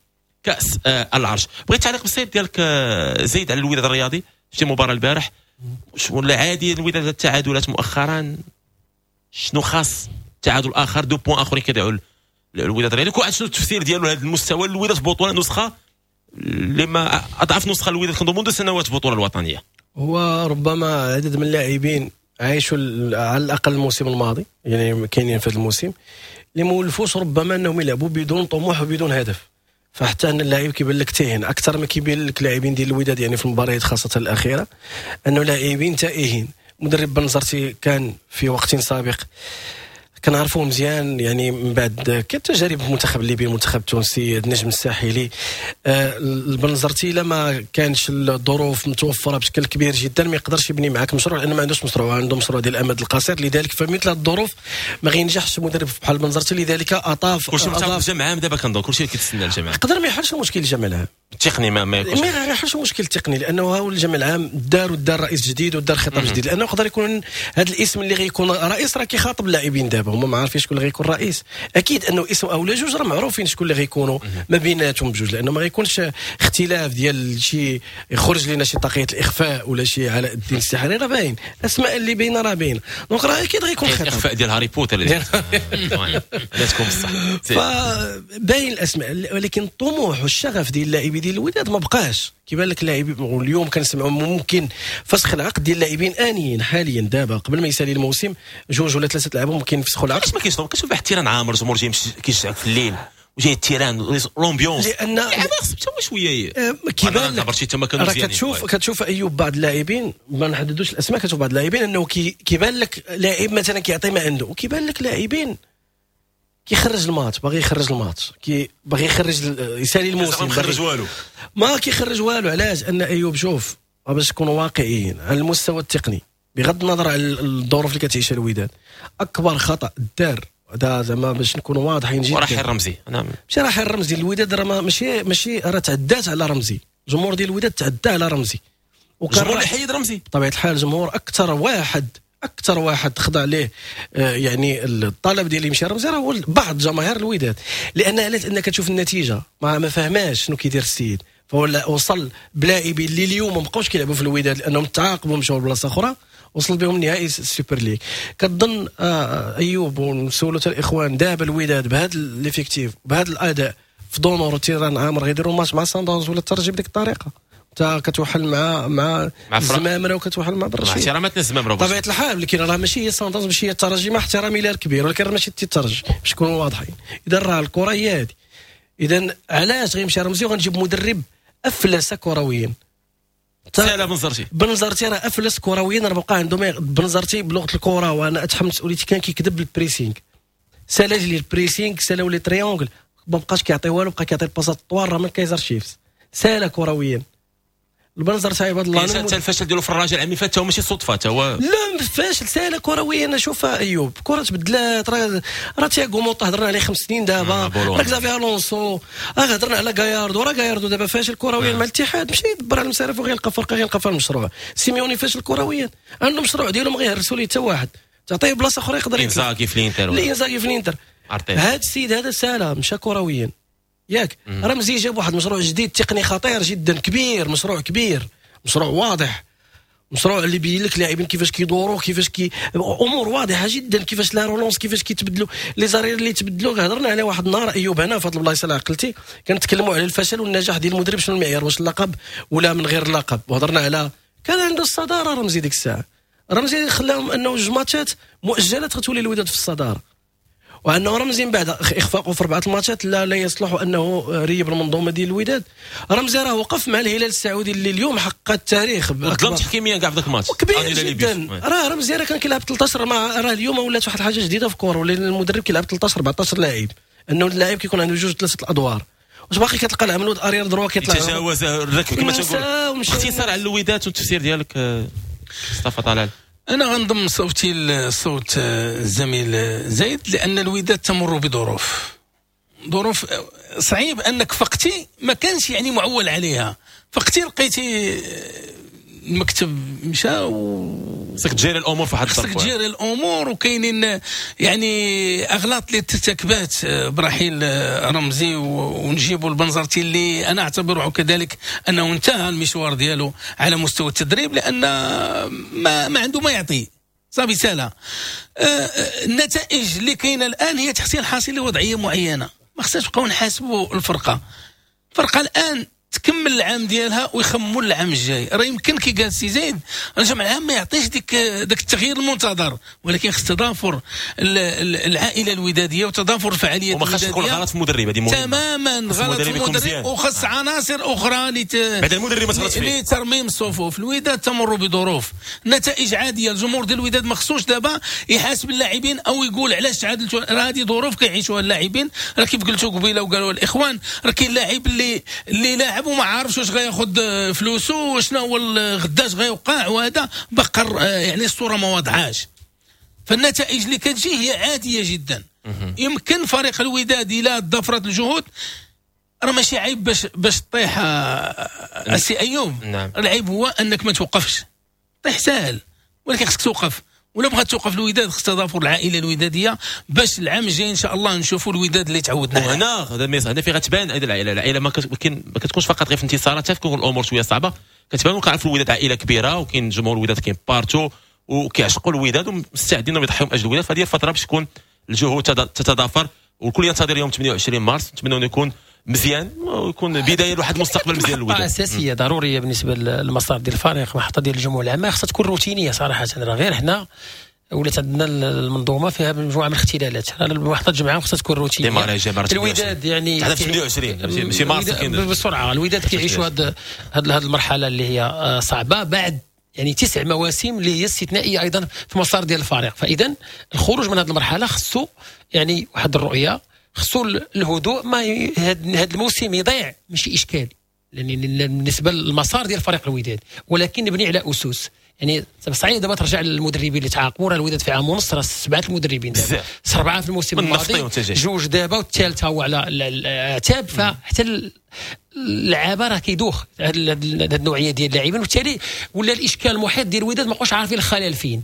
كاس آه العرش. بغيت تعليق بسيط ديالك آه زيد على الوداد الرياضي، شتي المباراة البارح ولا عادي الوداد التعادلات مؤخرا، شنو خاص تعادل اخر deux points اخرين كيضيعوا الوداد الرياضي، كل واحد شنو التفسير ديالو لهذا المستوى الوداد في بطوله نسخه اللي ما اضعف نسخه الوداد كنظن منذ سنوات في البطولة الوطنية؟ هو ربما عدد من اللاعبين عايشوا على الاقل الموسم الماضي، يعني كاينين في هذا الموسم اللي ما ولفوش ربما انهم يلعبوا بدون طموح وبدون هدف، فحتى ان اللاعب كيبان لك تاهن اكثر ما كيبان لك لاعبين ديال الوداد يعني في المباريات خاصة الاخيرة انه لاعبين تائهين. مدرب بنزرتي كان في وقت سابق كنعرفوه مزيان، يعني من بعد كتجارب المنتخب الليبي، المنتخب التونسي، النجم الساحلي. آه البنزرتي لما كانش الظروف متوفرة بشكل كبير جدا ما يقدرش يبني معاك مشروع، لانه ما عندوش مشروع، عنده مشروع ديال الامد القصير. لذلك فمثل هذه الظروف ما غينجحش مدرب بحال البنزرتي. لذلك اطاف كلشي متعرف الجمع عام دابا، كنظن كلشي كيتسنى الجمع، يقدر ما يحلش المشكل الجمع العام التقني، ما ما يكونش ما يحلش المشكل التقني، لانه هو الجمع العام دار ودار رئيس جديد ودار خطاب جديد، لانه يقدر يكون هذا الاسم اللي غيكون رئيس راه كيخاطب اللاعبين دابا، هما ما عارفين شكون اللي غيكون رئيس. اكيد انه اسم او لا جوج راه معروفين شكون اللي غيكونوا ما بيناتهم بجوج، لانه ما غيكونش اختلاف ديال شي يخرج لنا شي طاقية الاخفاء ولا شي علاء الدين السحري، راه باين الاسماء اللي باينة راه باينة، donc راه اكيد غيكون خطاب الاخفاء ديال هاري بوتر اللي تكون بصح فباين الاسماء. ولكن الطموح والشغف ديال اللاعبين ديال الوداد ما بقاش كيبان لك. اللاعبين واليوم كنسمعوا ممكن فسخ العقد ديال اللاعبين انيين حاليا دابا قبل ما يسالي الموسم، جوج ولا ثلاثة لاعبين ممكن يفسخوا العقد. علاش ما كاينش؟ كنشوف واحد ال terrain عامر الجمهور جاي كيشجعك في الليل وجاي ال terrain l'ambiance، لان خص حتى هو شوية كيبان لك راه كتشوف كتشوف ايوب بعض اللاعبين، ما نحددوش الاسماء، كتشوف بعض اللاعبين انه كيبان لك لاعب مثلا كيعطي ما عنده، وكيبان لك لاعبين كيخرج الماتش، باغي يخرج الماتش، كي باغي يخرج يسالي الموسم، ما كيخرج والو، ما كيخرج والو. علاش؟ ان ايوب شوف باش نكونوا واقعيين على المستوى التقني بغض النظر على الظروف اللي كتعيشها الوداد، اكبر خطا دار هذا زعما باش نكونوا واضحين جدا، رحيل رمزي. انا ماشي رحيل رمزي، الوداد راه ماشي ماشي راه تعدات على رمزي، الجمهور ديال الوداد تعدى على رمزي، الجمهور اللي حيد رمزي بطبيعة الحال. الجمهور اكثر واحد اكثر واحد خضع ليه يعني الطلب ديال يمشي رمزي راه هو بعض جماهير الوداد، لان علاش؟ انك تشوف النتيجة ما ما فهماش شنو كيدير السيد، فهو وصل بلاعبين اللي اليوم ما بقاوش كيلعبوا في الوداد لانهم تعاقبوا مشاو لبلاصه اخرى، وصل بهم نهائي السوبر ليغ. كتظن آه ايوب ونسولوا حتى الاخوان دابا الوداد بهذا l'effectif بهذا الاداء في d'honneur و terrain عامر غيديروا ماتش مع ساندونز ولا الترجي بديك الطريقة؟ انت كتوحل مع مع الزمامره وكتوحل مع برشيد، مع احتراماتنا الزمامره بطبيعة الحال، ولكن راه ماشي هي ساندونز ماشي هي الترجي، مع احترامي لها الكبير، ولكن راه ماشي الترجي باش نكونوا واضحين. اذا راه الكره هي هذه. اذا علاش غيمشي رمزي وغنجيب مدرب افلس كرويا؟ سالا بنزرتي، بنزرتي راه افلس كرويا، راه بقى عنده ما بنزرتي بلغه الكره وانا اتحمل مسؤوليتي كان كيكذب ال pressing، سالا لي ال pressing، سالاو les triangles، ما بقاش كيعطي والو، بقى كيعطي الباسات الطوال راه من كايزر شيفز، سالا كرويا البنزرتي عباد الله. حتى الفشل ديالو في الرجاء العام اللي فات هو ماشي صدفة، حتى هو لا فاشل سالا كرويا. انا شوف ايوب كره تبدلات، راه راه تياغو موطا هضرنا عليه خمس سنين دابا، راه كزافي الونسو، راه هضرنا على غاياردو، راه غاياردو دابا فاشل كرويا مع الاتحاد، مشى يدبر على المسارف وغيلقى فرقه، غيلقى فيها المشروع. سيميوني فاشل كرويا، عنده مشروع ديالو ما غيهرسوا ليه حتى واحد، تعطيه بلاصة اخرى يقدر. انزاغي في الانتر، انزاغي في الانتر، هذا السيد هذا سالا مشى كرويا ياك. رمزي جاب واحد المشروع جديد تقني خطير جدا كبير، مشروع كبير، مشروع واضح، مشروع اللي بين لك لاعبين كيفاش كيدوروا، كيفاش كي امور واضحة جدا، كيفاش la relance، كيفاش كيتبدلوا les arrières اللي تبدلوا. هضرنا على واحد النهار ايوب هنا في هذه البلايصه اللي عقلتي، كنتكلموا على الفشل والنجاح ديال المدرب، شنو المعيار، واش اللقب ولا من غير اللقب، وهضرنا على كان عنده الصدارة رمزي ديك الساعة. رمزي خلاهم انه جوج ماتشات مؤجلات غتولي الوداد في الصدارة، وانه رمزي من بعد اخفاقه في اربعة الماتشات لا لا يصلح انه ريب المنظومة ديال الوداد. رمزي راه وقف مع الهلال السعودي اللي اليوم حقق التاريخ، ظلم تحكيميا كاع في ذاك الماتش كبير جدا. راه رمزي راه كان كيلعب ثلاثة عشر مع، راه اليوم ولات واحد الحاجة جديدة في الكره، ولا المدرب كيلعب ثلاثة عشر أربعة عشر لاعب، انه اللاعب كيكون عنده جوج ثلاثة الادوار، واش باقي كتلقى العملود arrière droit كيطلع يتجاوز الركب كما تنقول. اختصار على الوداد والتفسير ديالك مصطفى طلال. أنا غنضم صوتي لصوت الزميل زايد، لأن الوداد تمر بظروف ظروف صعيب أنك فقتي ما كانش يعني معول عليها، فقتي لقيتي المكتب مشى و خصك تجيري الامور في واحد خصك تجيري الامور، وكاينين يعني اغلاط اللي ترتكبات برحيل رمزي ونجيبوا البنزرتي اللي انا اعتبره كذلك انه انتهى المشوار ديالو على مستوى التدريب، لان ما ما عنده ما يعطي صافي سالا. النتائج اللي كاينه الان هي تحصيل حاصل لوضعيه معينة، ما خصناش نبقاو نحاسبوا الفرقة. الفرقة الان تكمل العام ديالها ويخموا العام الجاي. راه يمكن كي قال سي زيد الجمع العام ما يعطيش ديك داك التغيير المنتظر، ولكن خص تضافر العائلة الوداديه وتضافر الفعاليات وما خصش يكون غلط في المدرب، هذه مهمة تماما، غلط في المدرب وخص عناصر اخرى لت... بعد المدرب ما تغلطش فيه لترميم الصفوف. الوداد تمر بظروف، نتائج عادية، الجمهور ديال الوداد ما خصوش دابا يحاسب اللاعبين او يقول علاش تعادلتوا، راه هذه ظروف كيعيشوها اللاعبين. راه كيف قلتوا قبيلة وقالوا الاخوان، راه كاين لاعب اللي اللي لاعب وما عارفش واش غياخذ فلوسه وشنو هو غداش غيوقع، وهذا بقر يعني الصورة ما واضحاش. فالنتائج اللي كتجي هي عادية جدا. يمكن فريق الوداد الى ضفرت الجهود، راه ماشي عيب باش باش تطيح السي ايوب. نعم. العيب هو انك ما توقفش، طيح ساهل ولكن خصك توقف. ولا بغات توقف الوداد خص تضافر العائلة الوداديه باش العام الجاي ان شاء الله نشوفوا الوداد اللي تعودنا. وهنا هذا ال message هنا في غتبان ايضا العائلة، العائلة ما كتكونش فقط غير في انتصارات، حتى تكون الامور شوية صعبة كتبان. وكنعرفوا الوداد عائلة كبيرة وكاين جمهور الوداد كاين partout وكيعشقوا الوداد ومستعدين انهم يضحيوا من اجل الوداد. فهذه الفترة باش تكون الجهود تتضافر والكل ينتظر يوم ثمانية وعشرين مارس. نتمنى انه يكون مزيان ويكون بداية لواحد المستقبل مزيان للوداد. اساسية ضرورية بالنسبة للمسار ديال الفريق، محطة ديال الجموع العامة خصها تكون روتينيه صراحة. راه غير حنا ولات عندنا المنظومة فيها مجموعة من الاختلالات، المحطة الجمعية خصها تكون روتينيه. الوداد يعني ثمانية وعشرين ماشي مارس بسرعة، الوداد كيعيشوا هاد هاد المرحلة اللي هي صعبة بعد يعني تسع مواسم اللي هي استثنائية ايضا في مسار ديال الفريق. فاذا الخروج من هذه المرحلة خصو يعني واحد الرؤية، خصو الهدوء، ما هذا الموسم يضيع ماشي اشكال لان بالنسبة للمسار ديال فريق الوداد، ولكن نبني على اسس. يعني صعيب دابا ترجع للمدربين اللي تعاقبوا، راه الوداد في عام ونص راه سبعة المدربين دابا، اربعة في الموسم الماضي، جوج دابا والثالثة هو على العتاب. فحتى اللعابه راه كيدوخ هذه النوعية ديال اللاعبين، وبالتالي ولا الاشكال المحيط ديال الوداد ما بقاوش عارفين الخلل فين.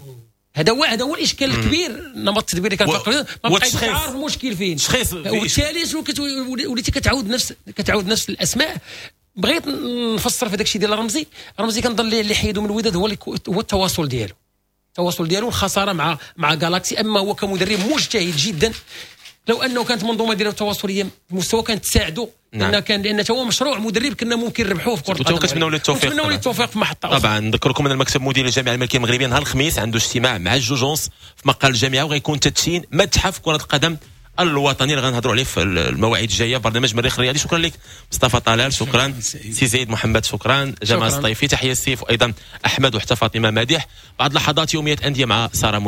هذا هو هذا هو الاشكال الكبير، نمط التدبير اللي كان في الوداد ما بقاش عارف المشكل فين، وبالتالي شنو وليتي كتعاود نفس كتعاود نفس الاسماء. بغيت نفسر في داك الشيء ديال رمزي، رمزي كنظن اللي حيدو من الوداد هو هو التواصل ديالو، التواصل ديالو الخسارة مع مع جالاكسي. اما هو كمدرب مجتهد جدا، لو انه كانت منظومة ديالو التواصليه المستوى كانت تساعده. نعم. لان كان لان هو مشروع مدرب كنا ممكن نربحوه في كره القدم. كنتمناو له التوفيق، كنتمناو له التوفيق في محطة أخرى. طبعا نذكركم ان المكتب المدير للجامعة الملكية المغربية نهار الخميس عنده اجتماع مع الجوج ونص في مقر الجامعة، وغيكون تدشين متحف كره القدم الوطني اللي غنهضروا عليه في المواعيد الجاية. برنامج مريخ الرياضي. شكرا لك مصطفى طلال، شكرا سي زيد محمد، شكرا جمال السطيفي، تحية السيف وايضا احمد وحتى فاطمة مادح. بعد لحظات يومية اندية مع ساره.